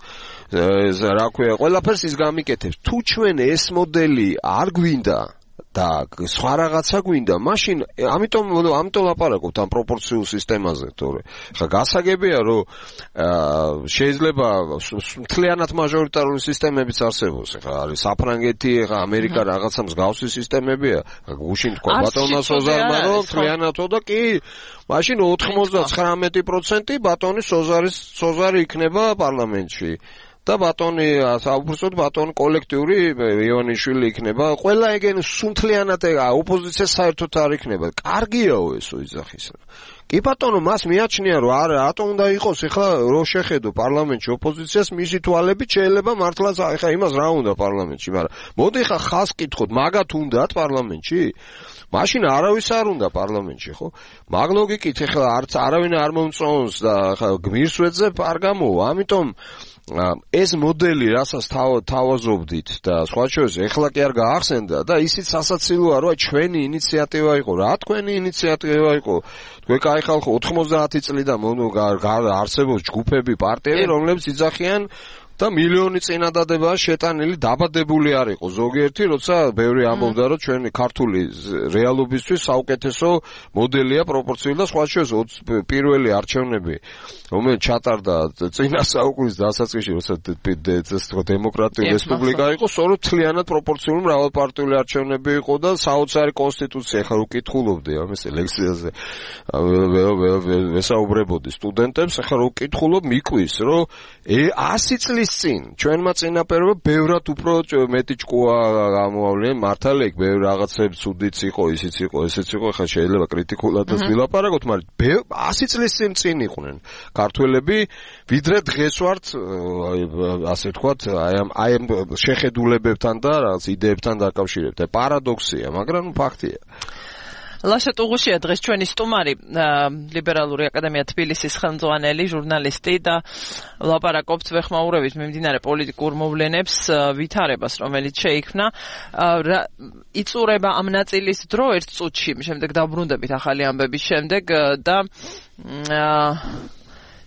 რა ქვია, ყველაფერს ის გამიკეთებს. თუ ჩვენ ეს მოდელი არ გვინდა და სხვა რაღაცა გვინდა, მაშინ ამიტომ ლაპარაკობთ ამ პროპორციულ სისტემაზე, თორე ხა გასაგებია რომ შეიძლება მთლიანად მაჟორიტარული სისტემებიც არსებობს. ხა არის საფრანგეთი, ხა ამერიკა რაღაცა მსგავსი სისტემებია. გუშინ თქვა ბატონმა სოზარმა რომ მთლიანადო და კი, მაშინ 99% ბატონის სოზარი იქნება პარლამენტში. და ბატონი საუბრობთ ბატონი კოლექტიური ივანიშვილი იქნება, ყველა ეგენ სუნთლიანად ოპოზიცია საერთოდ არ იქნება. კარგიაო ესო იძახის. კი ბატონო, მას მიაჩნია რომ არა, რატომ უნდა იყოს ეხლა რო შეხედო პარლამენტში ოპოზიციას, მისი თვალებით შეიძლება მართლაც ეხლა იმას რა უნდა პარლამენტში, მაგრამ მოდი ხა ხას კითხოთ, მაგათ უნდათ პარლამენტში? მაშინ არავის არ უნდა პარლამენტში, ხო? მაგ ლოგიკით ეხლა არც არავინ არ მომწონს და ხა გმირს ვეძებ არ გამოვა, ამიტომ ეს მოდელი, რასაც თავაზობდით და სხვა შორის ეხლა კი არ გაახსენდა და ისიც სასაცილოა, რომ ჩვენი ინიციატივა იყო. რა თქვენი ინიციატივა იყო? თქვენ კაი ხალხო 90 წლიდან არსებობს ჯგუფები, პარტიები, რომლებიც იძახიან და მილიონი წინადადებაა შეტანილი, დაბადებული არ იყო ზოგიერთი, როცა ბევრი ამბობდა, რომ ჩვენი ქართული რეალობისთვის საუკეთესო მოდელია პროპორციული და სხვა შორის პირველი არჩევნები, რომელიც ჩატარდა წინა საუკუნის დასაწყისში, როცა დემოკრატიული რესპუბლიკა იყო, სწორედ მთლიანად პროპორციული მრავალპარტიული არჩევნები იყო და საოცარი კონსტიტუცია. ხა უკითხულობდი ამის ლექციაზე, ვესაუბრებოდი სტუდენტებს, ხა რო უკითხულობ მიკვის, რომ 100 წლის წინ ჩვენმა წინაპირობა ბევრად უფრო მეტი ჭკუა გამოავლენ, მართალია იქ ბევრი რაღაცები ცუდიც იყო, ისიც იყო, ესეც იყო, ხა შეიძლება კრიტიკულადაც ვილაპარაკოთ, მაგრამ 100 წლის წინ იყვნენ ქართველები, ვიდრე დღეს ვართ, ასე ვთქვათ, აი ამ შეხედულებებთან და რაღაც იდეებთან დაკავშირებით. პარადოქსია, მაგრამ ფაქტია.
ლაშა ტუღუშია დღეს ჩვენი სტუმარი, ლიბერალური აკადემია თბილისის ხელმძღვანელი, ჟურნალისტი და ლაპარაკობთ ვეხმაურებით მიმდინარე პოლიტიკურ მოვლენებს, ვითარებას, რომელიც შეიქმნა. იწურება ამ ნაწილის დრო ერთ წუთში, შემდეგ დავბრუნდებით ახალი ამბების შემდეგ და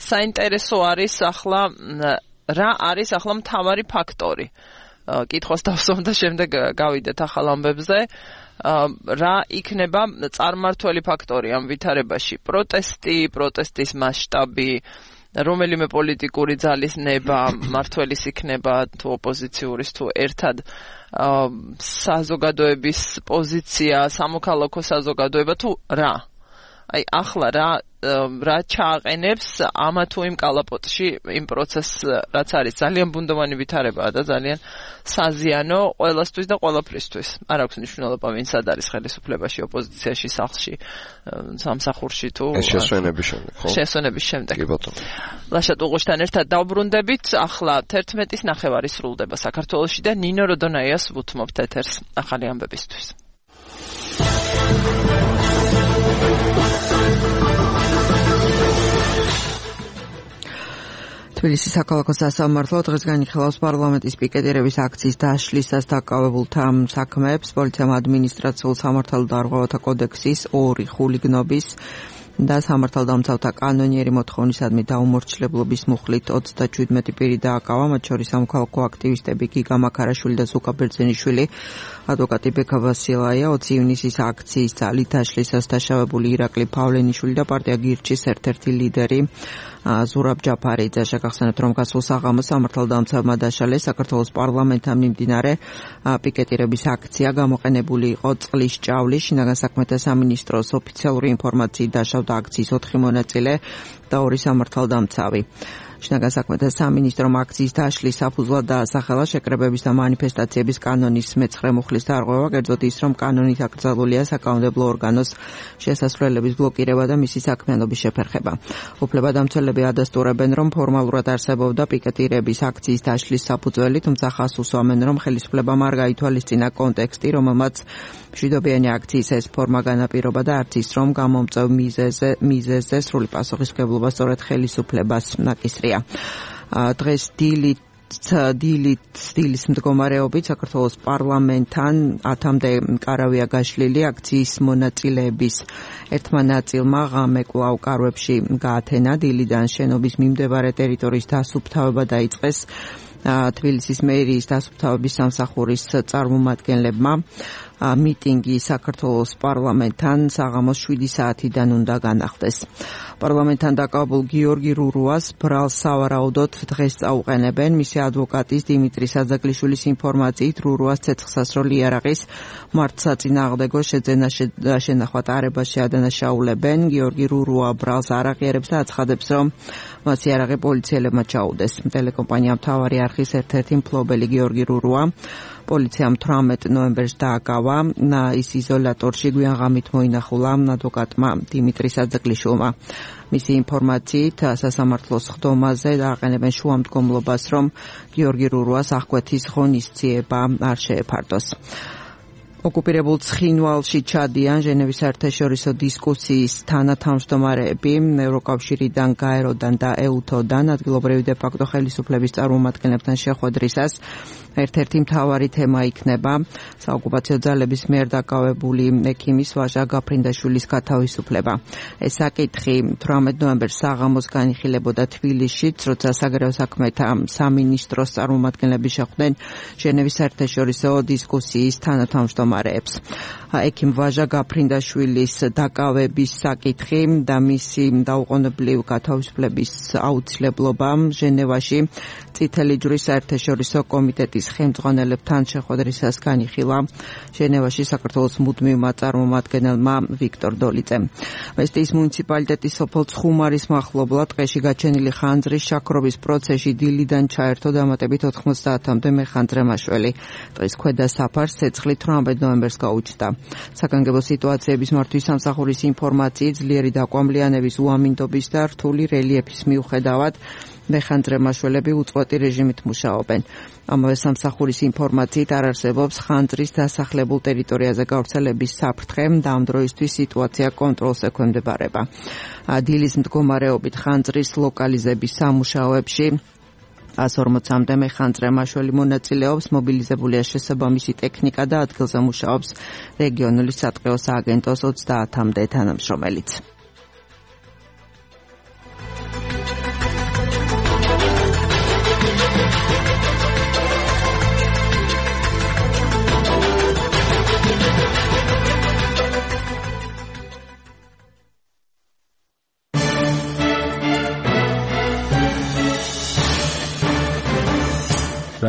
საინტერესო არის ახლა რა არის ახლა მთავარი ფაქტორი. კითხვას დავსვამ და შემდეგ გავიდეთ ახალ ამბებზე. რა იქნება წარმმართველი ფაქტორი ამ ვითარებაში? პროტესტის მასშტაბი, რომელიმე პოლიტიკური ძალის ნება, მმართველის იქნება თუ ოპოზიციური თუ ერთად საზოგადოების პოზიცია, სამოქალაქო საზოგადოება თუ რა? აი ახლა რა ჩააყენებს ამა თუ იმ კალაპოტში იმ პროცესს რაც არის ძალიან ბუნდოვანი ვითარებაა და ძალიან საზიანო ყველასთვის და ყველაფრისთვის. არ აქვს მნიშვნელობა ვინ სად არის ხელისუფლებაში, ოპოზიციაში, სახლში, სამსახურში თუ
შესვენების შემდეგ, ხო?
შესვენების შემდეგ.
კი ბატონო.
ლაშა ტუღუშთან ერთად დავბრუნდებით. ახლა 11:09 სრულდება საქართველოში და ნინო როდონაიას ვუთმობთ ეთერს ახალი ამბებისთვის.
თბილისის საქალაქო სასამართლო დღეს განიხილავს პარლამენტის პიკეტირების აქციის დაშლისას დაკავებულთა საქმეებს. პოლიციამ ადმინისტრაციულ სამართალდამცავთა კოდექსის 2 ხულიგნობის და სამართალდამცავთა კანონიერი მოთხოვნისადმი დაუმორჩილებლობის მუხლით 37 პირი დააკავა, მათ შორის სამოქალაქო აქტივისტები გიგა მაქარაშვილი და ზუკა ბერძენიშვილი, ადვოკატი ბექა ვასილაია, 20 ივნისის აქციის ძალით დაშლისას დაშავებული ირაკლი პავლენიშვილი და პარტია გირჩის ერთ-ერთი ლიდერი ზურაბ ჯაფარიძე. შეგახსენებთ, რომ გასულ საღამოს სამართალდამცავმა დაშალეს საქართველოს პარლამენტთან მიმდინარე პიკეტირების აქცია. გამოყენებული იყო წყლის ჭავლი. შინაგან საქმეთა სამინისტროს ოფიციალური ინფორმაციით დაშავდა აქციის 4 მონაწილე და 2 სამართალდამცავი. შინაგან საქმეთა სამინისტრომ აქციის დაშლის საფუძვლად დაასახელა შეკრებების და მანიფესტაციების კანონის მე-9 მუხლის დარღვევა, კერძოდ ის, რომ კანონით აკრძალულია საკანონმდებლო ორგანოს შესასვლელების ბლოკირება და მისი საქმიანობის შეფერხება. უფლებადამცველები ადასტურებენ, რომ ფორმალურად არსებობდა პიკეტირების აქციის დაშლის საფუძველი, თუმცა ხაზს უსვამენ, რომ ხელისუფლებამ არ გაითვალისწინა კონტექსტი, რომელმაც მშვიდობიანი აქციის ეს ფორმა განაპირობა და არც ის, რომ გამომწვევ მიზეზზე სრული პასუხისმგებლობა სწორედ ხელისუფლებას ნაკისრია. დღეს დილის მდგომარეობით საქართველოს პარლამენტთან 10-მდე კარავია გაშლილი. აქციის მონაწილეების ერთმა ნაწილმა ღამე კვლავ კარვებში გაათენა. დილიდან შენობის მიმდებარე ტერიტორიის დასუფთავება დაიწყეს თბილისის მერიის დასუფთავების სამსახურის წარმომადგენლებმა. მიტინგი საქართველოს პარლამენტთან საღამოს 7 საათიდან უნდა განახდეს. პარლამენტთან დაკავებულ გიორგი რურუას ბრალს სავარაუდოდ დღეს წაუყენებენ. მისი ადვოკატის დიმიტრი საძაგლიშვილის ინფორმაციით, რურუას ცეცხლსასროლი იარაღის მართლსაწინააღმდეგო შენახვა ტარებაში ადანაშაულებენ. გიორგი რურუა ბრალს არ აღიარებს და აცხადებს, რომ მას იარაღი პოლიციელებმა ჩაუდეს. ტელეკომპანია მთავარი არხის ერთ-ერთი მფლობელი გიორგი რურუა პოლიციამ 18 ნოემბერს დააკავა. ის იზოლატორში გვიან ღამით მოინახულა ადვოკატმა დიმიტრი საძაგლიშვილმა. მისი ინფორმაციით სასამართლოს ხდომაზე დააყენებენ შუამდგომლობას, რომ გიორგი რურუას აღკვეთის ღონისძიება არ შეეფარდოს. ოკუპირებულ ცხინვალში ჩადიან ჟენევის საერთაშორისო დისკუსიის თანათავმჯდომარეები ევროკავშირიდან, გაეროდან და ეუთოდან. ადგილობრივი დე ფაქტო ხელისუფლების წარმომადგენლებთან შეხვედრისას ერთ-ერთი მთავარი თემა იქნება საოკუპაციო ძალების მიერ დაკავებული ექიმის ვაჟა გაფრინდაშვილის გათავისუფლება. ეს საკითხი 18 ნოემბერს საღამოს განიხილებოდა თბილისშიც, როცა საგარეო საქმეთა სამინისტროს წარმომადგენლები შეხვდნენ ჟენევის საერთაშორისო დისკუსიის თანათავმჯდომარეებს. ექიმ ვაჟა გაფრინდაშვილის დაკავების საკითხი და მისი დაუყოვნებლივ გათავისუფლების აუცილებლობა ჟენევაში წითელი ჯვრის საერთაშორისო კომიტეტის ხელმძღვანელებთან შეხვედრისას განიხილა ჟენევაში საქართველოს მუდმივმა წარმომადგენელმა ვიქტორ დოლიძემ. ვესტიის მუნიციპალიტეტის სოფელ ცხუმარის მახლობლად ტყეში გაჩენილი ხანძრის შაქრობის პროცესში დილიდან ჩაერთო დამატებით 90-მდე მეხანძრე მაშველი. ტყის ქვედა საფარს ცეცხლით 18 ნოემბერს გაუჩნდა. საგანგებო სიტუაციების მართვის სამსახურის ინფორმაციით, ძლიერი დაკვამლიანების, უამინდობის და რთული რელიეფის მიუხედავად მეხანძრე მაშველები უწყვეტი რეჟიმით მუშაობენ. ამავე სამსახურის ინფორმაციით არ არსებობს ხანძრის დასახლებულ ტერიტორიაზე გავრცელების საფრთხე და ამ დროისთვის სიტუაცია კონტროლს ექვემდებარება. დილის მდგომარეობით ხანძრის ლოკალიზების სამუშაოებში 140-მდე მეხანძრე მაშველი მონაწილეობს, მობილიზებულია შესაბამისი ტექნიკა და ადგილზე მუშაობს რეგიონული სატყეო სააგენტოს 30-მდე თანამშრომელიც.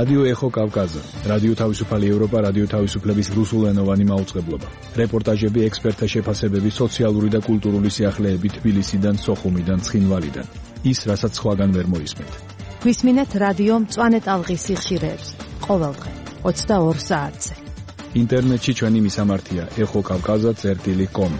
რადიო ეხო კავკაზა, რადიო თავისუფალი ევროპა, რადიო თავისუფლების რუსულენოვანი მაუწყებლობა. რეპორტაჟები, ექსპერტთა შეფასებები, სოციალური და კულტურული სიახლეები თბილისიდან, სოხუმიდან, ცხინვალიდან. ის, რასაც სხვაგან ვერ მოისმენთ.
გვისმინეთ რადიო მწვანე ტალღის სიხშირეებს. ყოველდღე 22 საათზე.
ინტერნეტში ჩვენი მისამართია ეხოკავკაზა.com.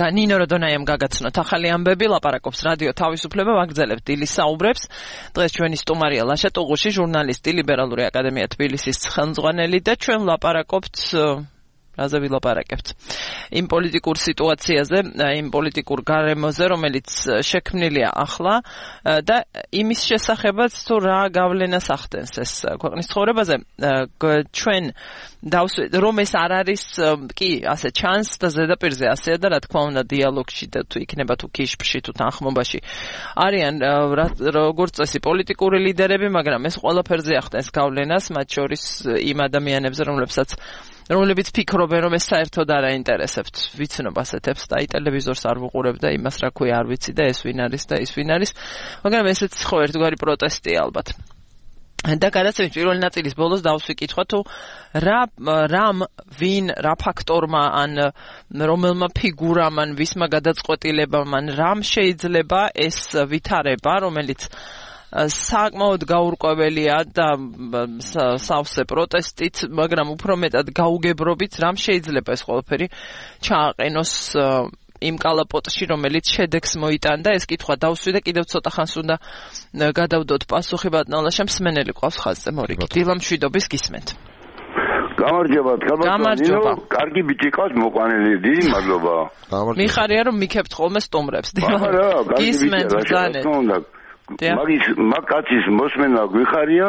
ნინო როდონაიამ გაგაცნოთ ახალი ამბები, ლაპარაკობს რადიო თავისუფლება, ვაგრძელებთ დილის საუბრებს. დღეს ჩვენი სტუმარია ლაშა ტუღუში, ჟურნალისტი, ლიბერალური აკადემია თბილისის ხელმძღვანელი და ჩვენ ლაპარაკობთ რაზე ვილაპარაკებთ? იმ პოლიტიკურ სიტუაციაზე, იმ პოლიტიკურ გარემოზე, რომელიც შექმნილია ახლა და იმის შესახებაც თუ რა გავლენას ახდენს ეს ქვეყნის ცხოვრებაზე. ჩვენ რომ ეს არ არის კი ასე ჩანს და ზედაპირზე ასეა და რა თქმა უნდა დიალოგში და თუ იქნება თუ კიშფში თუ თანხმობაში არიან როგორც წესი პოლიტიკური ლიდერები, მაგრამ ეს ყველაფერზე ახდენს გავლენას, მათ შორის იმ ადამიანებზე, რომლებიც ფიქრობენ, რომ ეს საერთოდ არ აინტერესებთ ვიცნობას ეთებს და ტელევიზორს არ ვუყურებ და იმას რა ქვია არ ვიცი და ეს ვინ არის და ის ვინ არის, მაგრამ ესეც ხო ერთგვარი პროტესტია ალბათ. და გადაცემის პირველი ნაწილის ბოლოს დავსვი კითხვა თუ რა ფაქტორმა ან რომელმა ფიგურამ ან ვისმა გადაწყვეტილებამ ან რამ შეიძლება ეს ვითარება, რომელიც საკმაოდ გაურკვეველია და სავსე პროტესტით, მაგრამ უფრო მეტად გაუგებრობით, რამ შეიძლება ეს ყველაფერი ჩააყენოს იმ კალაპოტში, რომელიც შედეგს მოიტანდა. ეს კითხვა დავსვი და კიდევ ცოტა ხანს უნდა გადავდოთ პასუხი ბატონო ლაშა, მსმენელი ყავს ხაზზე მორიგი. დილა მშვიდობის გისმენთ.
გამარჯობა, კარგი ბიჭი ყავს მოყვანილი, დიდი მადლობა.
მიხარია რომ მიქებთ ხოლმე სტუმრებს. გისმენთ ბრძანეთ.
მაგაცის მოსმენა გვიხარია,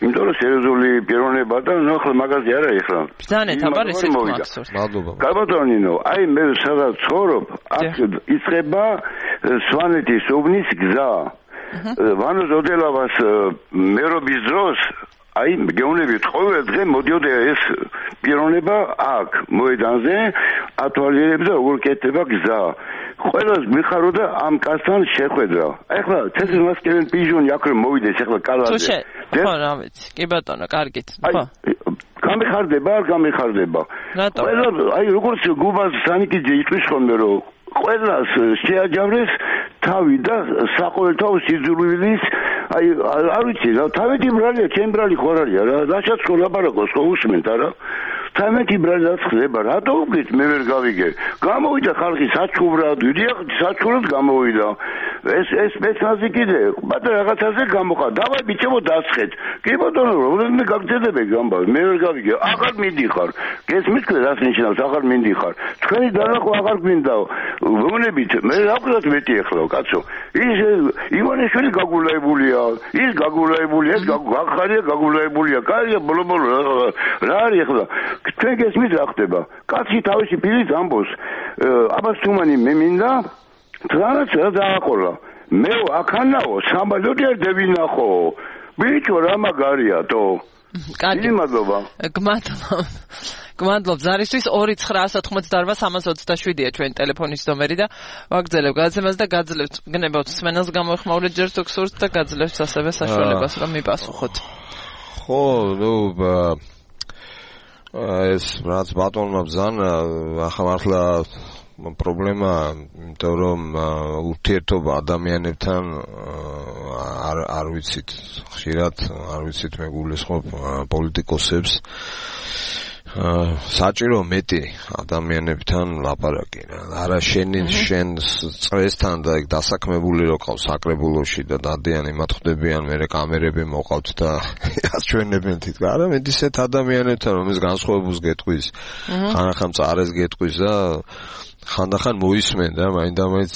იმიტომ რომ სერიოზული პიროვნება და ახლა მაგაზე არა ეხლა.
ბრძანეთ, აბა ესეც მაქსორს.
მადლობა.
გაბატონინო, აი მე სადაც ცხოვრობ, აქ იწყება სვანეთის უბნის გზა. ვანო ზოდელავას მერობის დროს აი გეუბნებით ყოველ დღე მოდიოდა ეს პიროვნება აქ მოედანზე ათვალიერებს და როგორ კეთდება გზა. ყველას მიხაროდა ამ კაცთან შეხვედრა. ეხლა ცეცხლმასკევენ პიჟონი აქ რომ მოვიდეს ეხლა კალაზე.
ხო რა ვიცი. კი ბატონო, კარგით. ხო.
გამიხარდება, არ გამიხარდება. ყველა აი როგორც გუბას სანიკიძე იტყვის ხოლმე რომ ყველას შეაჯავრეს თავი და საყოველთაო სიძულვილის აი არ ვიცი რა თავეთი ბრალია, ჩემ ბრალი ხო არია რა, რაშაც ხო ლაპარაკოს ხო უსმენთ არა? თამეთი ბრალაც ხდება, რატო უგეთ მე ვერ გავიგე. გამოვიდა ხალხი საჩუბრად, საჩუბრად გამოვიდა. ეს მეცნაზი კიდე, მაგრამ რაღაცაზე გამოხა. დავაი ბიჭებო დასხეთ. კი ბატონო, რომელი გაგძელებე გამბა, მე ვერ გავიგე. აღარ მიდიხარ. გესმის რას ნიშნავს აღარ მიდიხარ. თქვენი დანახვა აღარ გვინდაო. ვუნებით, მე რა ვქნათ მეტი ეხლა, კაცო. ის ივანიშვილი გაგულაებულია, ის გაგულაებულია, ეს გახარია გაგულაებულია. კარია ბოლო რა არის ეხლა? თქვენ გესმის რა ხდება? კაცი თავისი პირით ამბობს. აბა სუმანი მე მინდა თრანაც რა დააყოლა. მე აქანაო სამბალოდი არ დავინახო. ბიჭო რა მაგარია თო.
კარგი
მადლობა.
გმადლობ ზარისთვის 2918327-ია ჩვენი ტელეფონის ნომერი და ვაგრძელებ გადაცემას და გაძლევთ გნებავთ სმენელს გამოეხმაურეთ ჯერ თუ გსურთ და გაძლევთ ასევე საშუალებას რომ მიპასუხოთ.
ხო, ეს რაც ბატონმა ბრძანა ახლა მართლა პრობლემა, იმიტომ რომ ურთიერთობა ადამიანებთან არ ვიცით, ხშირად არ ვიცით მე გულისხმობ პოლიტიკოსებს საჭირო მეტი ადამიანებთან ლაპარაკი რა. არა შენ წრესთან და ეგ დასაქმებული რო ყავს საკრებულოში და დადიანი მათ ხდებიან, მე კამერები მოყავთ და აჩვენებენ თითქოს. არა მე ისეთ ადამიანებთან რომის განსხვავებულს გეტყვის, ხანახან წარეს გეტყვის და ხანდახან მოისმენ და მაინდა-მაინც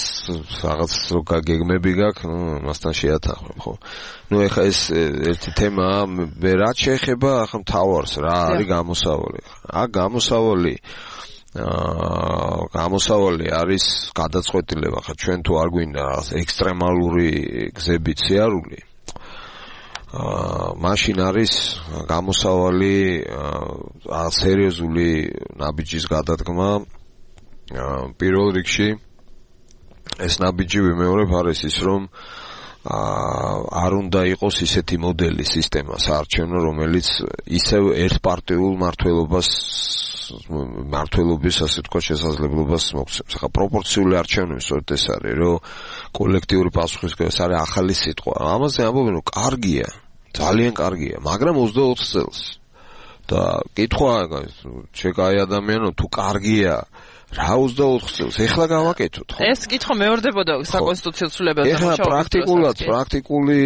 რაღაც რო გეგმები გაქვს, მასთან შეათანხმებ, ხო? ეხა ეს ერთი თემაა, მე რაც შეეხება ახლა მთავარს, რა არის გამოსავალი. გამოსავალი არის გადაწყვეტილება, ხა ჩვენ თუ არ გვინდა რაღაც ექსტრემალური გზებით სიარული. მაშინ არის გამოსავალი სერიოზული ნაბიჯის გადადგმა. პირველ რიგში ეს ნაბიჯი ვიმეორებ არის ის რომ არ უნდა იყოს ისეთი მოდელი სისტემა საარჩევნო რომელიც ისევ ერთპარტიულ მართლობის ასე თქვა შესაძლებლობას მოგცემს. ხა პროპორციული არჩევნები სწორედ ეს არის რომ კოლექტიური პასუხისმგებლობა ეს არის ახალი სიტყვა. ამაზე ამბობენ რომ კარგია, ძალიან კარგია, მაგრამ 24 წელს და კითხვა შეკაი ადამიანო თუ კარგია რა 24 წელს ეხლა გავაკეთოთ ხო?
ეს კითხვა მეორდებოდა საკონსტიტუციო ცვლილებაზე
მუშაობის პრაქტიკული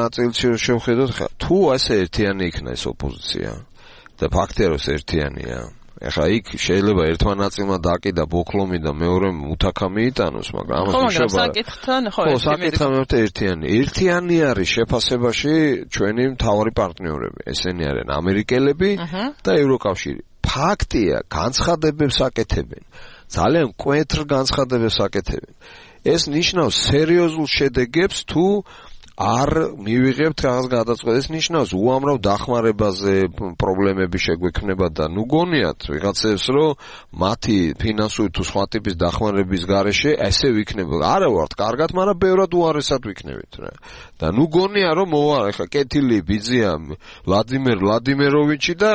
ნაწილში შევხედოთ ხა თუ ასე ერთიანი იქნა ეს ოპოზიცია და ფაქტია რომ ერთიანია ეხლა იქ შეიძლება ერთმა ნაწილმა დააკიდა ბოქლომი და მეორემ უთაქა მიიტანოს მაგრამ ამას
საკითხთან ხო
ერთიანი არის შეფასებაში ჩვენი მთავარი პარტნიორები ესენი არიან ამერიკელები და ევროკავშირი ფაქტია განცხადებებს აკეთებენ ძალიან მკვეთრ განცხადებებს აკეთებენ ეს ნიშნავს სერიოზულ შედეგებს თუ არ მივიღებთ რაღაც გადაწყვეტას ეს ნიშნავს უამრავ დახმარებაზე პრობლემები შეგვექმნება და ნუ გონიათ ვიღაცებს რომ მათი ფინანსური თუ სხვა ტიპის დახმარების გარეშე ესე ვიქნება არა ვართ კარგად მაგრამ ბევრად უარესად ვიქნებით რა და ნუ გონია რომ მოვა ეხლა კეთილი ბიძია ვლადიმერ ვლადიმეროვიჩი და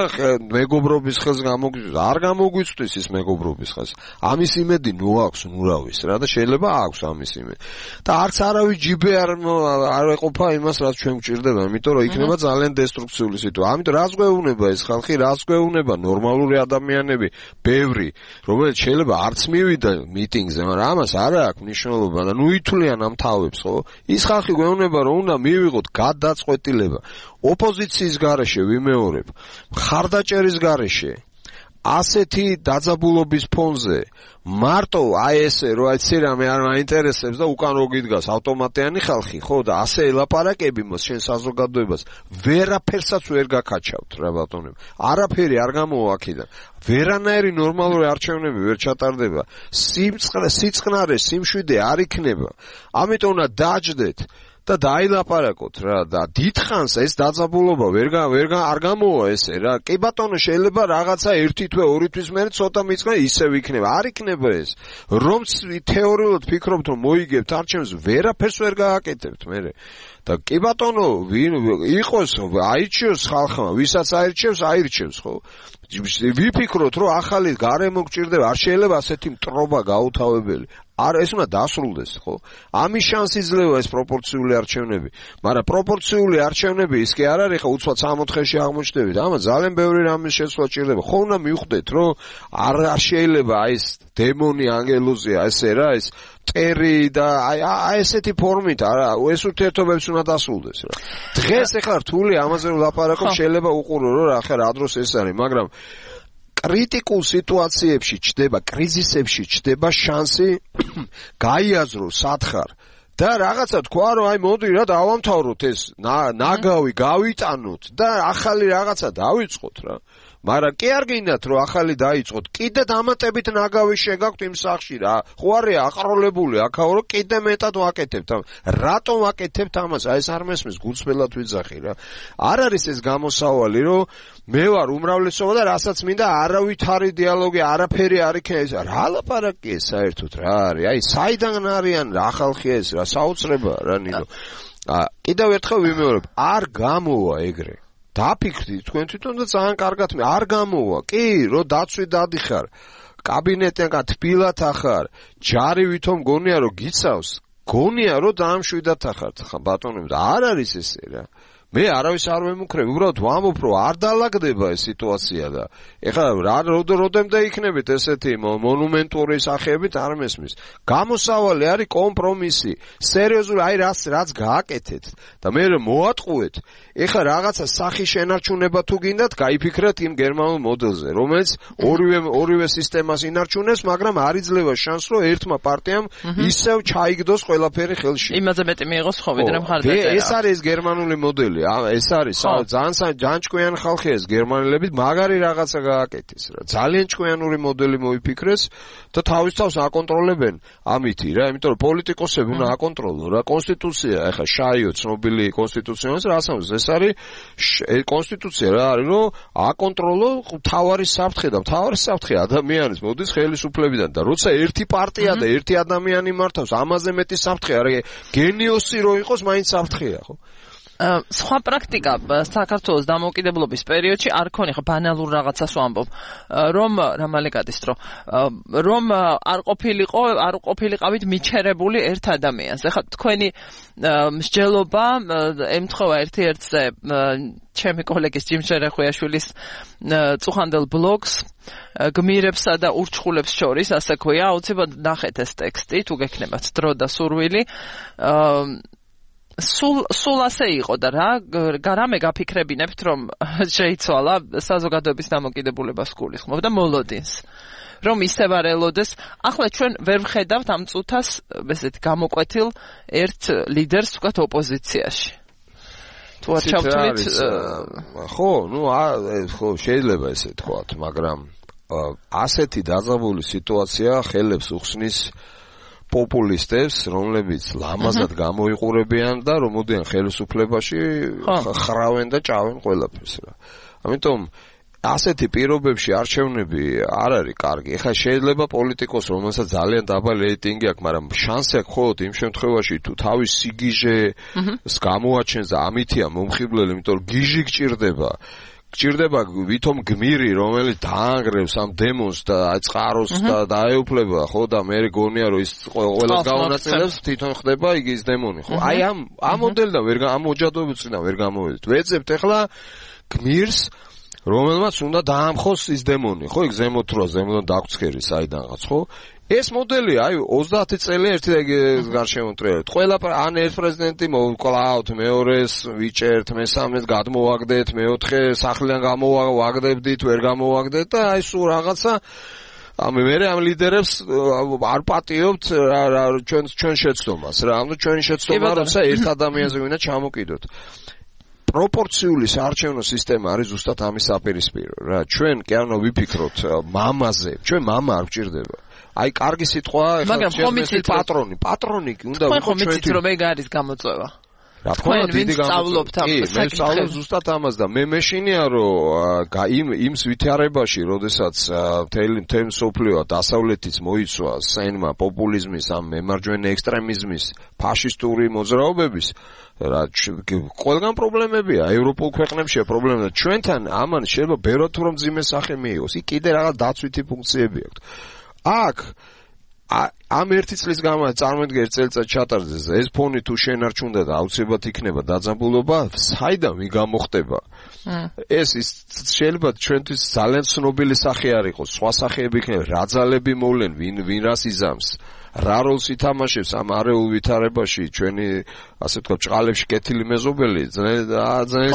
მეგობრობის ხელს არ გამოგვიწვდის ის მეგობრობის ხელს ამის იმედი ნუ აქვს ნურავის რა და შეიძლება აქვს ამის იმედი და არც არავის ჯიბე არ ეყოფა იმას რაც ჩვენ გვჭირდება იმიტომ რომ იქნება ძალიან დესტრუქციული სიტუაცია ამიტომ რას გვეუბნება ეს ხალხი რას გვეუბნება ნორმალური ადამიანები ბევრი რომელიც შეიძლება არც მივიდა მიტინგზე მაგრამ ამას არ აქვს მნიშვნელობა და ნუ ითვლიან ამ თავებს ხო ის ხალხი გვეუბნება რომ უნდა მივიღოთ გადაწყვეტილება ოპოზიციის გარეშე ვიმეორებ მხარდაჭერის გარეშე ასეთი დაძაბულობის ფონზე მარტო აი ესე რომ აი ცერამე არ მაინტერესებს და უკან რო გიდგას ავტომატიანი ხალხი ხო და ასე ელაპარაკები მას შენ საზოგადოებას ვერაფერსაც ვერ გაკაჩავთ რა ბატონო არაფერი არ გამოვა აქედან ვერანაირი ნორმალური არჩევნები ვერ ჩატარდება სიწყნარე სიმშვიდე არ იქნება ამიტომ უნდა დაჯდეთ და დაილაპარაკოთ რა და დიდხანს ეს დაძაბულობა არ გამოვა ესე რა კი ბატონო შეიძლება რაღაცა ერთი თვე ორი თვის მერე ცოტა მიწყა ისევ იქნება არ იქნება ეს რომ თეორიულად ფიქრობთ რომ მოიგებთ არჩევნებს ვერაფერს ვერ გააკეთებთ მერე და კი ბატონო ვინ იყოს აირჩიოს ხალხმა ვისაც აირჩევს ხო ვიფიქროთ რომ ახალი გარემო გჭირდება არ შეიძლება ასეთი მტრობა გაუთავებელი არ ეს უნდა დასრულდეს ხო ამის შანსი იძლევა ეს პროპორციული არჩევნები მაგრამ პროპორციული არჩევნები ის კი არ არის ხო უცბად 64-ში აღმოჩნდებით ამას ძალიან ბევრი რამის შეცვლა ჭირდება ხო უნდა მივხვდეთ რომ არ შეიძლება აი ეს დემონი ანგელოზია ესე რა ეს ტერი და აი ესეთი ფორმით არა ეს ურთიერთობებს უნდა დასრულდეს რა დღეს ეხლა რთული ამაზე რომ ლაპარაკობ შეიძლება უყურო რომ რა ხარ რა დროს ეს არის მაგრამ კრიტიკულ სიტუაციებში ჩდება კრიზისებში ჩდება შანსი გაიაზრო სათხარ და რაღაცა თქვა რომ აი მოდი რა დავამთავროთ ეს ნაგავი გავიტანოთ და ახალი რაღაცა დავიწყოთ რა მაგრამ კი არ გინდათ რომ ახალი დაიწყოთ კიდე დამატებით ნაგავი შეგაქვთ იმ სახში რა ხო არის აყროლებული აქაო რომ კიდე მეტად ვაკეთებთ რატომ ვაკეთებთ ამას აი ეს არ მესმის გულწრფელად ვიძახი რა არ არის ეს გამოსავალი რომ მე ვარ უმრავლესობა და რასაც მინდა არავითარი დიალოგი არაფერი არ იქნება ეს რა ლაპარაკია საერთოდ რა არის აი საიდან არიან რა ხალხია ეს რა საოცრება რა ნინო კიდევ ერთხელ ვიმეორებ არ გამოვა ეგრე დაფიქრდით თქვენ თვითონ და ძალიან კარგად არ გამოვა კი რომ დაცვი დადიხარ კაბინეტიდან თბილად ახარ ჯარი ვითომ გონია რომ გიცავს გონია რომ დაამშვიდად ახართ ხა ბატონო არ არის ესე რა მე არავის არ ვემუქრებ უბრალოდ ვამბობ რომ არ დაალაგდება ეს სიტუაცია და ეხლა როდემდე იქნებით ესეთი მონუმენტური სახეებით არ მესმის გამოსავალი არის კომპრომისი სერიოზული აი რაც გააკეთეთ და მე მოატყუეთ ეხლა რაღაცა სახის შენარჩუნება თუ გინდათ გაიფიქრეთ იმ გერმანულ მოდელზე რომელიც ორივე სისტემას ინარჩუნებს მაგრამ არ იძლევა შანსს რომ ერთმა პარტიამ ისევ ჩაიგდოს ყველაფერი ხელში
იმაზე მეტი მიიღოს ხო ვიდრე მხარდაჭერა
ეს არის გერმანული მოდელი მოდელი, ეს არის ძალიან ჭკვიანი ხალხი ეს გერმანელები, მაგარი რაღაცა გააკეთეს რა. ძალიან ჭკვიანური მოდელი მოიფიქრეს და თავის თავს აკონტროლებენ ამითი რა, იმიტომ რომ პოლიტიკოსები უნდა აკონტროლონ რა. კონსტიტუცია, ეხლა შაიო ცნობილი კონსტიტუციონალისტი რა ասამს, ეს არის კონსტიტუცია რა არის, რომ აკონტროლო მთავარი საფრთხე და მთავარი საფრთხე ადამიანის მოდის ხელისუფლებიდან და როცა ერთი პარტია და ერთი ადამიანი მართავს, ამაზე მეტი საფრთხე არის გენიოსი რო იყოს, მაინც საფრთხეა, ხო?
სხვა პრაქტიკა საქართველოს დამოუკიდებლობის პერიოდში არ ქონია, ხო ბანალურ რაღაცას ვამბობ, რომ რამალეკადის რომ არ ყოფილიყავით მიჩერებული ერთ ადამიანს. ეხლა თქვენი მსჯელობა ემთხვევა ერთ-ერთზე ჩემი კოლეგის ჯიმ შერეხვიაშვილის წუხანდელ ბლოგს გმირებსა და ურჩხულებს შორის, ასე ქვია, აუცილებლად ნახეთ ეს ტექსტი, თუ გექნებათ დრო და სურვილი. სულ ასე იყო და რამე გაფიქრებინებთ, რომ შეიცვალა საზოგადოების დამოკიდებულებას გულისხმობ და მოლოდინს, რომ ისევ არ ელოდეს. ახლა ჩვენ ვერ ვხედავთ ამ წუთას ესეთ გამოკვეთილ ერთ ლიდერს თქვათ ოპოზიციაში. თუ არ ჩავთვლით,
ხო, ხო შეიძლება ესე თქვათ, მაგრამ ასეთი დაძაბული სიტუაცია ხელებს უხსნის პოპულისტებს, რომლებიც ლამაზად გამოიყურებიან და რომოდიან ხელისუფლებაში ხრავენ და ჭავენ ყველაფერს რა. ამიტომ ასეთი პირობებში არჩევნები არ არის კარგი. ეხლა შეიძლება პოლიტიკოს, რომელსაც ძალიან დაბალი რეიტინგი აქვს, მაგრამ შანსი აქვს მხოლოდ იმ შემთხვევაში, თუ თავის სიგიჟეს გამოაჩენს და ამითია მომხიბლელი, იმიტომ რომ გიჟი გჭირდება ვითომ გმირი, რომელიც დაანგრევს ამ დემონს და წყაროს და დაეუფლება, ხო და მე გონია რომ ის ყველას გაუნაწილებს, თვითონ ხდება იგი ის დემონი, ხო? აი ამ მოდელიდან ამ ოჯახობებიდან ვერ გამოვედით. ვეძებთ ახლა გმირს, რომელმაც უნდა დაამხოს ის დემონი, ხო? იქ ზემოთ რა, ზემოდან დაგვცქერი საიდანღაც, ხო? ეს მოდელი, აი 30 წელი ერთი გარშემოტრიალეთ. ყველა ან ერთ პრეზიდენტი მოვკლავთ, მეორეს ვიჭერთ, მესამეს გადმოვაგდეთ, მეოთხე სახლიდან გამოვაგდებდით, ვერ გამოვაგდეთ და აი სულ რაღაცა მე ამ ლიდერებს არ პატიობთ ჩვენ შეცდომას რა. ანუ ჩვენი შეცდომა როცა ერთ ადამიანზე ვინა ჩამოკიდოთ. პროპორციული საარჩევნო სისტემა არის ზუსტად ამის საპირისპირო რა. ჩვენ კი არ უნდა ვიფიქროთ მამაზე, ჩვენ მამა არ გვჭირდება. აი კარგი სიტყვაა, ეხლა პატრონი უნდა
ვიყო ჩვენთვის. რომ ეგ არის გამოწვევა.
რა თქმა უნდა, დიდი გამოწვევა. მე ვსწავლობ ზუსტად ამას და მე მეშინია რომ იმ ვითარებაში, როდესაც მთელი მსოფლიო დასავლეთიც მოიცვა სენმა პოპულიზმის, ამ მემარჯვენე ექსტრემიზმის, ფაშისტური მოძრაობების რა ყველგან პრობლემებია, ევროპულ ქვეყნებშია პრობლემა. ჩვენთან ამან შეიძლება ბევრად რომ მძიმე სახე მიიღოს. იქ კიდე რაღაც დაცვითი ფუნქციები აქვს. აქ ამ ერთი წლის გამო წარმოიდგინე ერთ წელიწად ჩატარდეს ეს ფონი თუ შენარჩუნდა და აუცილებლად იქნება დაძაბულობა, საიდან მიგამოხდება? ეს შეიძლება ჩვენთვის ძალიან ცნობილი სახე არ იყოს, სხვა სახეები იქნება, რა ძალები მოვლენ, ვინ რას იზამს, რა როლს ითამაშებს ამ არეულ ვითარებაში ჩვენი ასე ვთქვათ ჭყალებში კეთილი მეზობელი ძალიან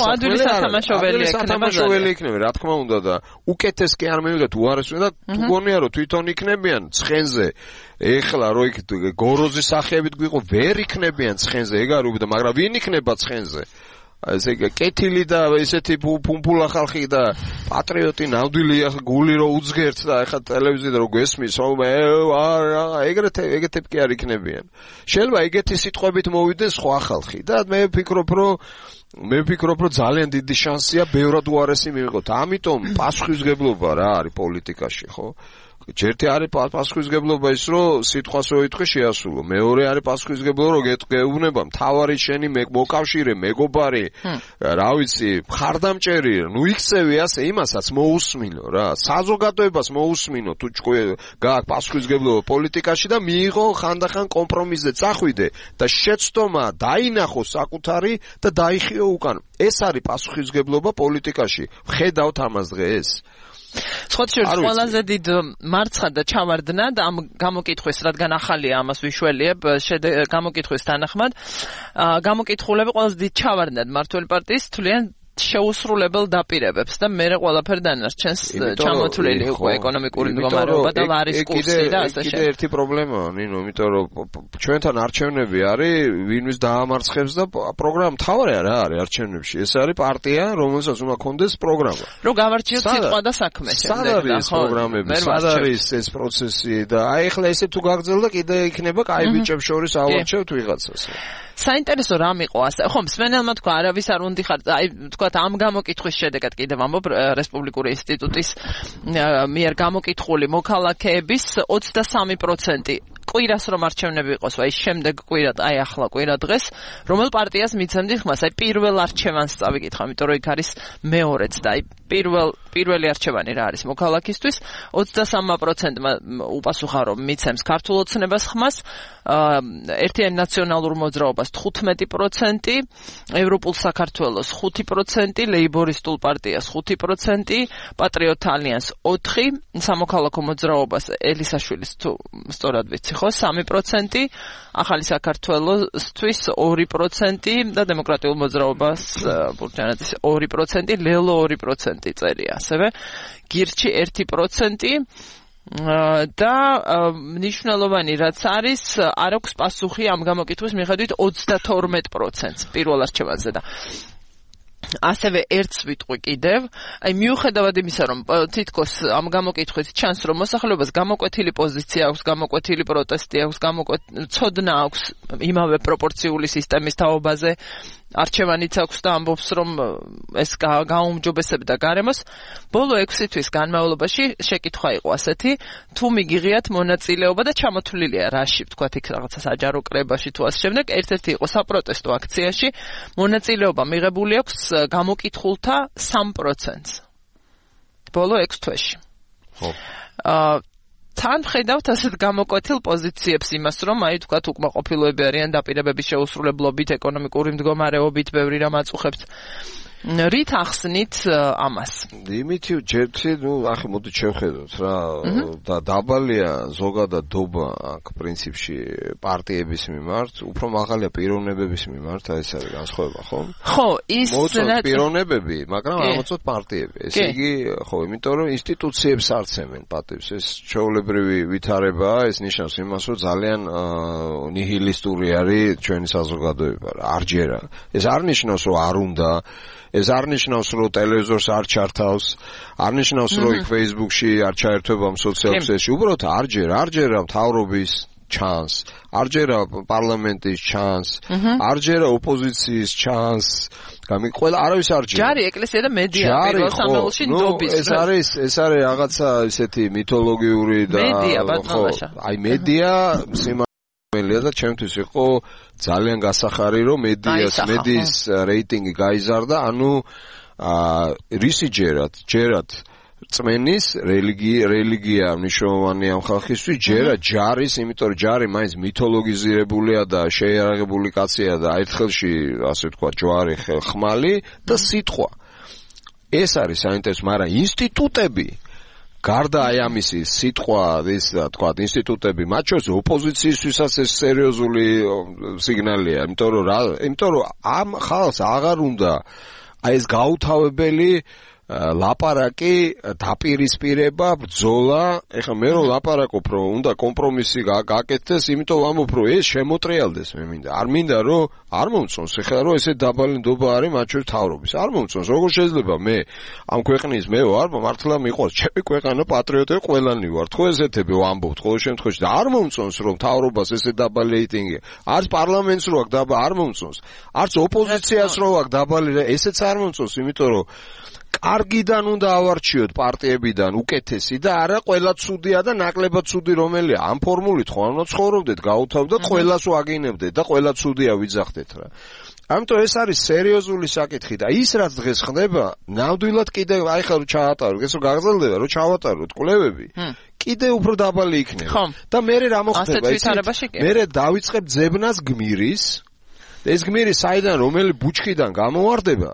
სათამაშოველი იქნება, რა თქმა უნდა და უკეთეს კი არ მივიღეთ უარესს და თუ გონია რომ თვითონ იქნებიან ცხენზე ეხლა რო იქ გოროზის სახეებით გვიყო ვერ იქნებიან ცხენზე ეგ არ უბრალოდ მაგრამ ვინ იქნება ცხენზე ესე კეთილი და ესეთი ფუმფულა ხალხი და პატრიოტი ნამდვილი გული რო უძგერთ და ეხლა ტელევიზიაზე რო გესმის რომ ეგრეთები კი არ იქნებიან შეიძლება ეგეთი სიტყვებით მოვიდეს სხვა ხალხი და მე ვფიქრობ რომ ძალიან დიდი შანსია ბევრად უარესი მივიღოთ ამიტომ პასუხისმგებლობა რა არის პოლიტიკაში ხო ჯერთი არის პასუხისმგებლობა ის რომ სიტყვას რო იტყვი შეასრულო მეორე არის პასუხისმგებლობა რომ გეუბნება მთავარი შენი მოკავშირე მეგობარი რა ვიცი მხარდამჭერი ნუ იქცევი ასე იმასაც მოусმინო რა საზოგადოებას მოусმინო თუ გააქვს პასუხისმგებლობა პოლიტიკაში და მიიღო ხანდახან კომპრომისზე წახვიდე და შეცდომა დაინახო საკუთარი და დაიხიო უკან ეს არის პასუხისმგებლობა პოლიტიკაში ვხედავთ ამას დღეს
სხვათა ყველაზე დიდ მარცხად და ჩავარდნა და ამ გამოკითხვის რადგან ახალია ამას ვიშველიებ გამოკითხვის თანახმად გამოკითხულები ყველაზე დიდ ჩავარდნად მმართველი პარტიის თვლიან შეუსრულებელ დაპირებებს და მე ყველაფერი დანარჩენს ჩამოთვლილი უკვე ეკონომიკური მდგომარეობა და ლარის კურსი და ასე
კიდე ერთი პრობლემაა, ნინო, იმიტომ რომ ჩვენთან არჩევნები არის, ვინმის დაამარცხებს და პროგრამა თავია რა არის არჩევნებში. ეს არის პარტია, რომელსაც უნდა კონდეს პროგრამა.
რომ გავარჩიოთ სიტყვა და საქმე
სად არის პროგრამები, სად არის ეს პროცესი და აი ახლა ესე თუ გაგრძელდა კიდე იქნება კაი ბიჭებს შორის ავარჩევთ ვიღაცას.
საინტერესო რამ იყო ასე. ხო, მსმენელმა თქვა, არავის არ უნდა ხარ, აი თქვა ამ გამოკითხვის შედეგად კიდევ ამბობ რესპუბლიკური ინსტიტუტის მიერ გამოკითხული მოქალაქეების 23% კვირას რომ არჩევნები იყოს, აი შემდეგ კვირად, აი ახლა კვირა დღეს, რომელ პარტიას მიცემდით ხმას, აი პირველ არჩევანს წავიკითხა, იმიტომ რომ იქ არის მეორეც და აი პირველი არჩევანი რა არის მოქალაქისთვის, 23%-მა უპასუხა რომ მიცემს ქართულ ოცნებას ხმას, ერთიანი ნაციონალურ მოძრაობას 15%, ევროპულ საქართველოს 5%, ლეიბორისტულ პარტიას 5%, პატრიოტ ალიანს 4%, სამოქალაქო მოძრაობას ელისაშვილის თუ სწორად ვიცი ხო 3%, ახალი საქართველოსთვის 2% და დემოკრატიულ მოძრაობას ბურჯანაძის 2%, ლელო 2% წერია ასევე, გირჩი 1% და მნიშვნელოვანი რაც არის, არ აქვს პასუხი ამ გამოკითხვის მიხედვით 32% პირველ არჩევანზე და ასევე ერთს ვიტყვი კიდევ, აი მიუხედავად იმისა, რომ თითქოს ამ გამოკითხვით ჩანს, რომ მოსახლეობას გამოკვეთილი პოზიცია აქვს, გამოკვეთილი პროტესტი აქვს, ცოდნა აქვს იმავე პროპორციული სისტემის თაობაზე, არჩევანიც აქვს და ამბობს, რომ ეს გაუმჯობესებდა გარემოს. ბოლო 6 თვის განმავლობაში შეკითხვა იყო ასეთი, თუ მიგიღიათ მონაწილეობა და ჩამოთვლილია რაში, ვთქვათ, იქ რაღაცა საჯარო კრებაში თუ ასე შემდეგ, ერთ-ერთი იყო საპროტესტო აქციაში, მონაწილეობა მიღებული აქვს გამოკითხულთა 3%-ს. ბოლო 6 თვეში.
ხო.
თან ხედავთ ასეთ გამოკვეთილ პოზიციებს იმას, რომ აი თქვათ უკმაყოფილოები არიან დაპირებების შეუსრულებლობით, ეკონომიკური მდგომარეობით, ბევრი რამ აწუხებთ. რით ახსნით ამას?
იმით ჯერთი, ახლა მოდით შევხედოთ რა და დაბალია ზოგადად დობა აქ პრინციპში პარტიების მიმართ, უფრო მაღალია პიროვნებების მიმართ, აი ეს არის განსხვავება, ხო?
ხო, ის
მოწოთ პიროვნებები, მაგრამ არ მოწოთ პარტიები. ესე იგი, ხო, იმიტომ რომ ინსტიტუციებს არცემენ პატივს, ეს ჩვეულებრივი ვითარებაა, ეს ნიშნავს იმას, რომ ძალიან ნიჰილისტური არის ჩვენი საზოგადოება, არ ჯერა. ეს არ ნიშნავს, რომ არ უნდა ეს არ ნიშნავს, რომ ტელევიზორს არ ჩართავს, არ ნიშნავს, რომ იქ Facebook-ში არ ჩაერთვება სოციალურ ქსელში, უბრალოდ არ ჯერა მთავრობის ჩანს, არ ჯერა პარლამენტის ჩანს, არ ჯერა ოპოზიციის ჩანს, ყველა არავის არ ჯერა.
ჯარი ეკლესია და მედია პირველ სამეულში ნდობის.
ეს არის რაღაცა ისეთი მითოლოგიური და აი მედია და ჩემთვის იყო ძალიან გასახარი, რომ მედიის რეიტინგი გაიზარდა, ანუ რისი ჯერათ წმენის რელიგია მნიშვნელოვანია ამ ხალხისთვის, ჯარის, იმიტომ რომ ჯარი მაინც მითოლოგიზირებულია და შეიარაღებული კაცია და აერთხელში, ასე ვთქვათ, ჯვარი, ხმალი და სიტყვა. ეს არის საინტერესო, მაგრამ ინსტიტუტები გარდა აი ამისი სიტყვა, ის თქვა, ინსტიტუტები, მათ შორის ოპოზიციისთვისაც ეს სერიოზული სიგნალია, იმიტომ რომ ამ ხალხს აღარ უნდა აი ეს გაუთავებელი ლაპარაკი, დაპირისპირება, ბრძოლა, ეხლა მე რომ ლაპარაკობ, რომ უნდა კომპრომისი გაკეთდეს, იმიტომ ვამბობ, რომ ეს შემოტრიალდეს, მე მინდა. არ მინდა, რომ არ მომწონს, ეხლა რომ ესე დაბალი ნდობა არის მათ შორის თავრობის. არ მომწონს, როგორ შეიძლება მე ამ ქვეყნის მე ვარ, მართლა მიყვარს, ჩემი ქვეყანა პატრიოტები ყველანი ვართ, ხო ესეთები ვამბობთ ყოველ შემთხვევაში და არ მომწონს, რომ თავრობას ესე დაბალი რეიტინგი. არც პარლამენტს რო აქვს დაბალი, არ მომწონს. არც ოპოზიციას რო აქვს დაბალი, ესეც არ მომწონს, იმიტომ რომ კარგიდან უნდა ავარჩიოთ პარტიებიდან უკეთესი და არა ყველა ცუდია და ნაკლებად ცუდი რომელია. ამ ფორმულით ხო არ ცხოვრობდეთ, გაუთავდეთ, ყველას ვაგინებდეთ და ყველა ცუდია ვიძახდეთ რა. ამიტომ ეს არის სერიოზული საკითხი და ის რაც დღეს ხდება, ნამდვილად კიდევ აი ხა რო ჩაატაროთ, ეს რო გაგრძელდება, რო ჩავატაროთ კვლევები, კიდევ უფრო დაბალი იქნება. და მე რა მოხდება ის? მე დავიწყებ ძებნას გმირის. ეს გმირი საიდან რომელი ბუჩქიდან გამოვარდება?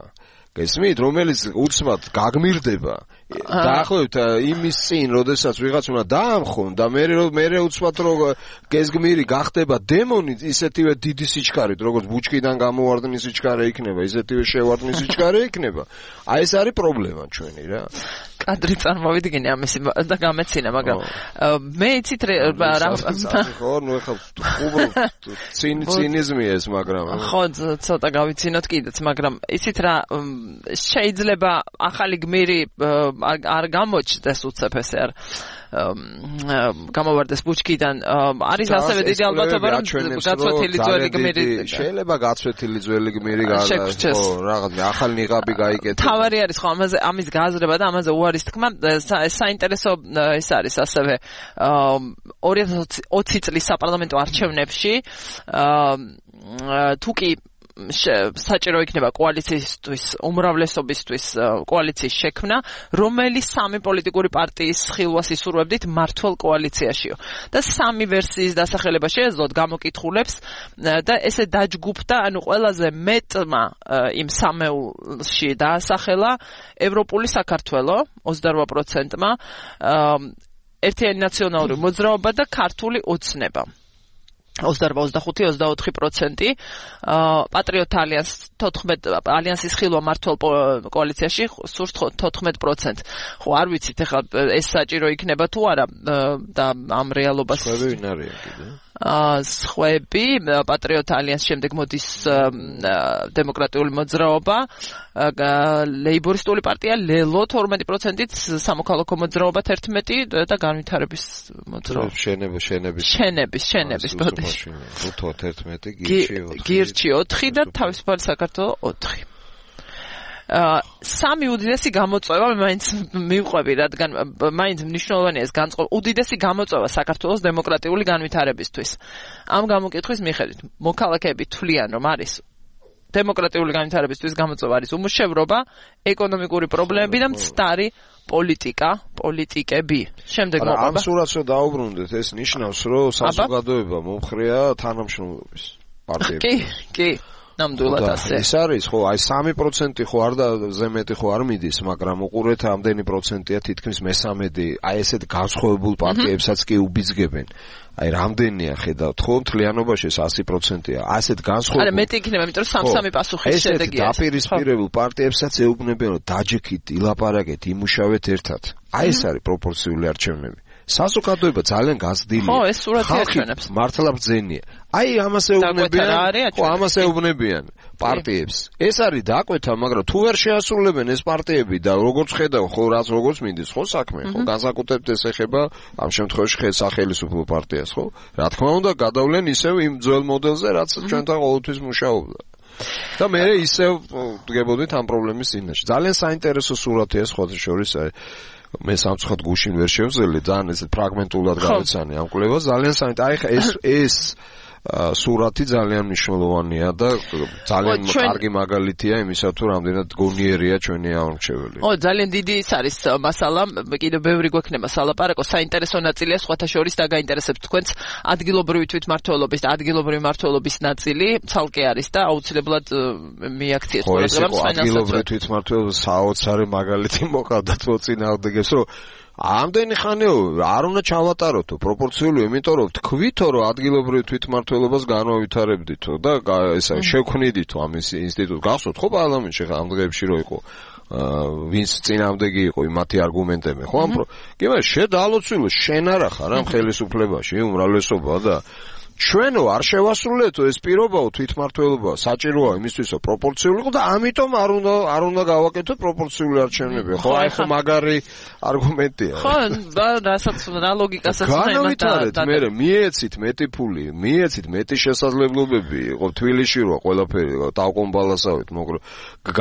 გესმით, რომელიც უცბად გაგმირდება, დაახლოებით იმის წინ, როდესაც ვიღაც უნდა დაამხონ და მე უცბად რომ გეზგმირი გახდება დემონი, ისეთივე დიდი სიჩქარით, როგორც ბუჩქიდან გამოვარდნი სიჩქარე იქნება, ისეთივე შევარდნი სიჩქარე იქნება. აი ეს არის პრობლემა ჩვენი რა.
კადრი წარმოვიდგინე ამის და გამეცინა, მაგრამ მე იცით რა
ხო, ნუ ეხლა უბრალოდ ცინიზმია ეს, მაგრამ
ხო, ცოტა გავიცინოთ კიდეც, მაგრამ იცით რა შეიძლება ახალი გმირი არ გამოჩნდეს უცებ ესე არ გამოვარდეს ბუჩქიდან არის ასევე დიდი ალბათობა რომ გაცვეთილი ძველი გმირი
შეიძლება გაცვეთილი ძველი გმირი ხო რაღაც ახალი ნიღაბი გაიკეთება
თავარი არის ხო ამის გააზრება და ამაზე უარის თქმა საინტერესო ეს არის ასევე 2020 წლის საპარლამენტო არჩევნებში თუკი საჭირო იქნება კოალიციისთვის უმრავლესობისთვის კოალიციის შექმნა, რომელიც სამი პოლიტიკური პარტიის ხილვას ისურვებდით მართლ კოალიციაშიო. და სამი ვერსიის დასახელება შეეძლოთ გამოკითხულებს და ესე დაჯგუფდა, ანუ ყველაზე მეტმა იმ სამეულში დაასახელა ევროპული საქართველო 28%-მა, ერთიანი ნაციონალური მოძრაობა და ქართული ოცნება. 28-24% პატრიოტ ალიანსის ხილვა მართლ კოალიციაში სურს 14%. ხო არ ვიცით ეხლა ეს საჭირო იქნება თუ არა და ამ რეალობას
სხვები ვინ არიან კიდე?
სხვები პატრიოტ ალიანსის შემდეგ მოდის დემოკრატიული მოძრაობა, ლეიბორისტული პარტია ლელო 12%-ით, სამოქალაქო მოძრაობა 11% და განვითარების მოძრაობა. შენების ბოდიში.
11,
გირჩი 4 და თავისუფალი საქართველო 4. სამი უდიდესი გამოწვევა მაინც მივყვები, რადგან მაინც მნიშვნელოვანია ეს განწყობა. უდიდესი გამოწვევა საქართველოს დემოკრატიული განვითარებისთვის. ამ გამოკითხვის მიხედვით, მოქალაქეები თვლიან, რომ არის დემოკრატიული განვითარებისთვის გამოწვევა არის უმუშევრობა, ეკონომიკური პრობლემები და მცდარი პოლიტიკები. შემდეგ მოყვება.
ამ სურათს რომ დაუბრუნდეთ, ეს ნიშნავს, რომ საზოგადოება მომხრეა თანამშრომლობის პარტიებში.
კი. ნამდვილად ასე.
ეს არის ხო, აი 3% ხო არ და ზემეთი ხო არ მიდის, მაგრამ უყურეთ ამდენი პროცენტია თითქმის მე-13, აი ესეთ განსხვავებულ პარტიებსაც კი უბიძგებენ. აი რამდენია ხედავთ ხო მთლიანობაში 100%-ია. ასეთ განსხვავებულ.
არა, მეტი იქნება, იმიტომ რომ 3 პასუხის შედეგია.
ესეთ დაპირისპირებულ პარტიებსაც ეუბნებიან, რომ დაჯექით, ილაპარაკეთ, იმუშავეთ ერთად. აი ეს არის პროპორციული არჩევნები. საზოგადოება ძალიან გაზრდილია.
ხო, ეს სურათი აჩვენებს.
მართლა ბრძენია. აი ამას ეუბნებიან, ხო, ამას ეუბნებიან პარტიებს. ეს არის დაკვეთა, მაგრამ თუ ვერ შეასრულებენ ეს პარტიები და როგორც ხედავ, ხო, როგორც მინდის, ხო, საქმე, ხო, განსაკუთრებით ეს ეხება ამ შემთხვევაში სახელმწიფო პარტიას, ხო? რა თქმა უნდა, გადავლენ ისევ იმ ძველ მოდელზე, რაც ჩვენთან ყოველთვის მუშაობდა. და მე ისევ დგებოდით ამ პრობლემის წინაშე. ძალიან საინტერესო სურათია სხვათა შორის მე სამწუხაროდ გუშინ ვერ შევძელი ძალიან ეს ფრაგმენტულად გავეცანი ამ კვლევას ძალიან საინტერესო ეს სურათი ძალიან მნიშვნელოვანია და ძალიან კარგი მაგალითია იმისა თუ რამდენად გონიერია ჩვენი აღმრჩეველი.
ძალიან დიდი ის არის მასალა, კიდევ ბევრი გვექნება სალაპარაკო, საინტერესო ნაწილია სხვათა შორის და გაინტერესებს თქვენს ადგილობრივი თვითმმართველობის და ადგილობრივი მმართველობის ნაწილი ცალკე არის და აუცილებლად მიაქციეთ
ყველგან ადგილობრივი თვითმმართველობის საოცარი მაგალითი მოგავდათ მოწინააღმდეგეს, რომ ამდენი ხანია არ უნდა ჩავატაროთო პროპორციულია, იმიტომ რომ თქვითო რომ ადგილობრივ თვითმმართველობას განავითარებდითო და ესა შევქმნიდითო ამის ინსტიტუტს გახსოვთ ხო პარლამენტში ამ დღეებში რო იყო ვინც წინამდეგი იყო მათი არგუმენტები ხო ამ კი მაგრამ შედალოცილო შენ არა ხარ ამ ხელისუფლებაში უმრავლესობა და ჩვენო არ შევასრულეთო ეს პირობაო თვითმმართველობა საჭიროა იმისთვისო პროპორციული იყო და ამიტომ არ უნდა გავაკეთოთ პროპორციული არჩევნები ხო აი ხო მაგარი არგუმენტია
ხო რასაც რა ლოგიკასაც
განავითარეთ მე მიეცით მეტი ფული მიეცით მეტი შესაძლებლობები იყო თბილისში რო ყველაფერი დავკომბალასავით მაგრამ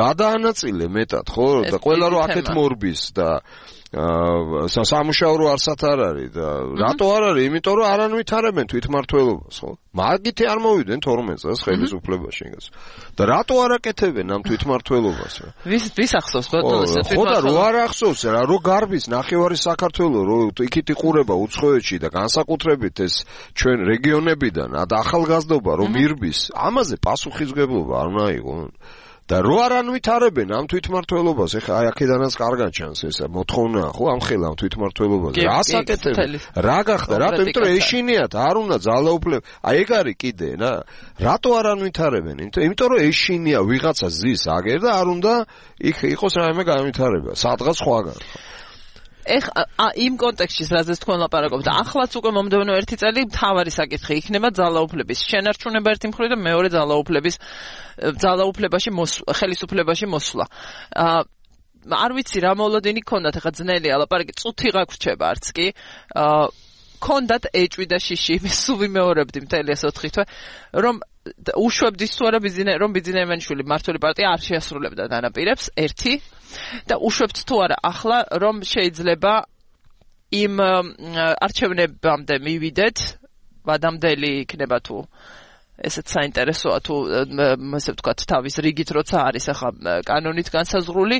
გადაანაწილე მეტად ხო და ყველა რო აქეთ მორბის და სამუშაო არსად არ არის და რატო არ არის? იმიტომ რომ არ ანვითარებენ თვითმმართველობას, ხო? მაგითი არ მოვიდნენ 12 წელს ხელისუფლებაში იგას. და რატო არ აკეთებენ ამ თვითმმართველობას?
ვის ახსოვს ბატონოს თვითმმართველობა?
ხო და რო არ ახსოვს რა, რო გარბის ნახევარი საქართველოს, რო იქით იყურება უცხოეთში და განსაკუთრებით ეს ჩვენ რეგიონებიდან და ახალგაზრდობა რო მირბის, ამაზე პასუხისმგებლობა არ უნდა იყოს. და რო არ ანვითარებენ ამ თვითმმართველობას, ეხლა აი აქედანაც კარგად ჩანს ეს მოთხოვნა ხო ამ ხელა ამ თვითმმართველობას. რა საკეთებენ? რა გახდა? რატო? იმიტომ რომ ეშინიათ, არ უნდა ძალაუფლება. აი ეგ არის კიდე რა. რატო არ ანვითარებენ? იმიტომ რომ ეშინია ვიღაცა ზის აგერ და არ უნდა იქ იყოს რაიმე განვითარება, სადღაც სხვაგან.
იმ კონტექსტში რაზეც თქვენ ლაპარაკობთ, ახლაც უკვე მომდევნო 1 წელი მთავარი საკითხი იქნება ძალაუფლების შენარჩუნება ერთი მხრივ და მეორე ძალაუფლებაში ხელისუფლებაში მოსვლა. არ ვიცი რა მოლოდინი გქონდათ, ახლა ძნელია ლაპარაკი, წუთი გაგვრჩება არც კი. გქონდათ ეჭვი და შიში, მე სულ ვიმეორებდი მთელი ეს 4 თვე, რომ უშვებდის თუ არა რომ ბიძინაევანიშვილი მმართველი პარტია არ შეასრულებდა დანაპირებს, ერთი და უშვებთ თუ არა ახლა რომ შეიძლება იმ არჩევნებამდე მივიდეთ, ვადამდელი იქნება თუ ესეც საინტერესოა თუ ასე ვთქვათ თავის რიგით როცა არის ახლა კანონით განსაზღვრული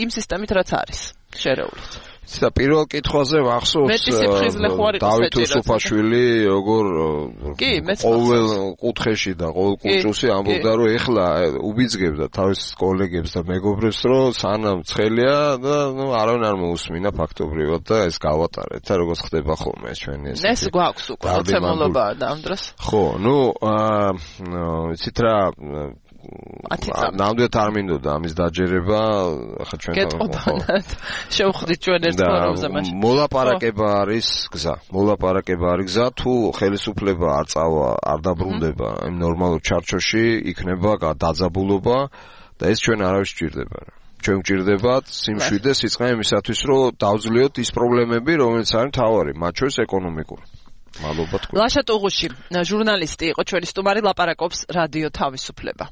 იმ სისტემით რაც არის შერეული.
და პირველ კითხვაზე ვახსოვს დავით უსუფაშვილი როგორ ყოველ კუთხეში და ყოველ კუჭუსი ამბობდა რომ ეხლა უბიძგებდა თავის კოლეგებს და მეგობრებს რომ სანამ ცხელია და არავინ არ მოусმინა ფაქტობრივად და ეს გავატარეთ და როგორც ხდება ხოლმე ჩვენი
ეს გვაქვს უკვე მოცემულობა და ამ დროს
ხო იცით რა ნამდვილად არ მინდოდა ამის დაჯერება, ახლა ჩვენ
შევხვდით ჩვენ ერთ ფორუმზე მაშინ.
მოლაპარაკება არის გზა, თუ ხელისუფლება არ წავა, არ დაბრუნდება იმ ნორმალურ ჩარჩოში, იქნება დაძაბულობა და ეს ჩვენ არავის სჭირდება. ჩვენ გვჭირდებათ სიმშვიდე და სიწყე იმისათვის, რომ დავძლიოთ ის პრობლემები, რომელიც არის მთავარი, მათ შორის ეკონომიკური. მადლობა თქვენ.
ლაშა ტუღუში, ჟურნალისტი იყო ჩვენი სტუმარი, ლაპარაკობს რადიო თავისუფლება.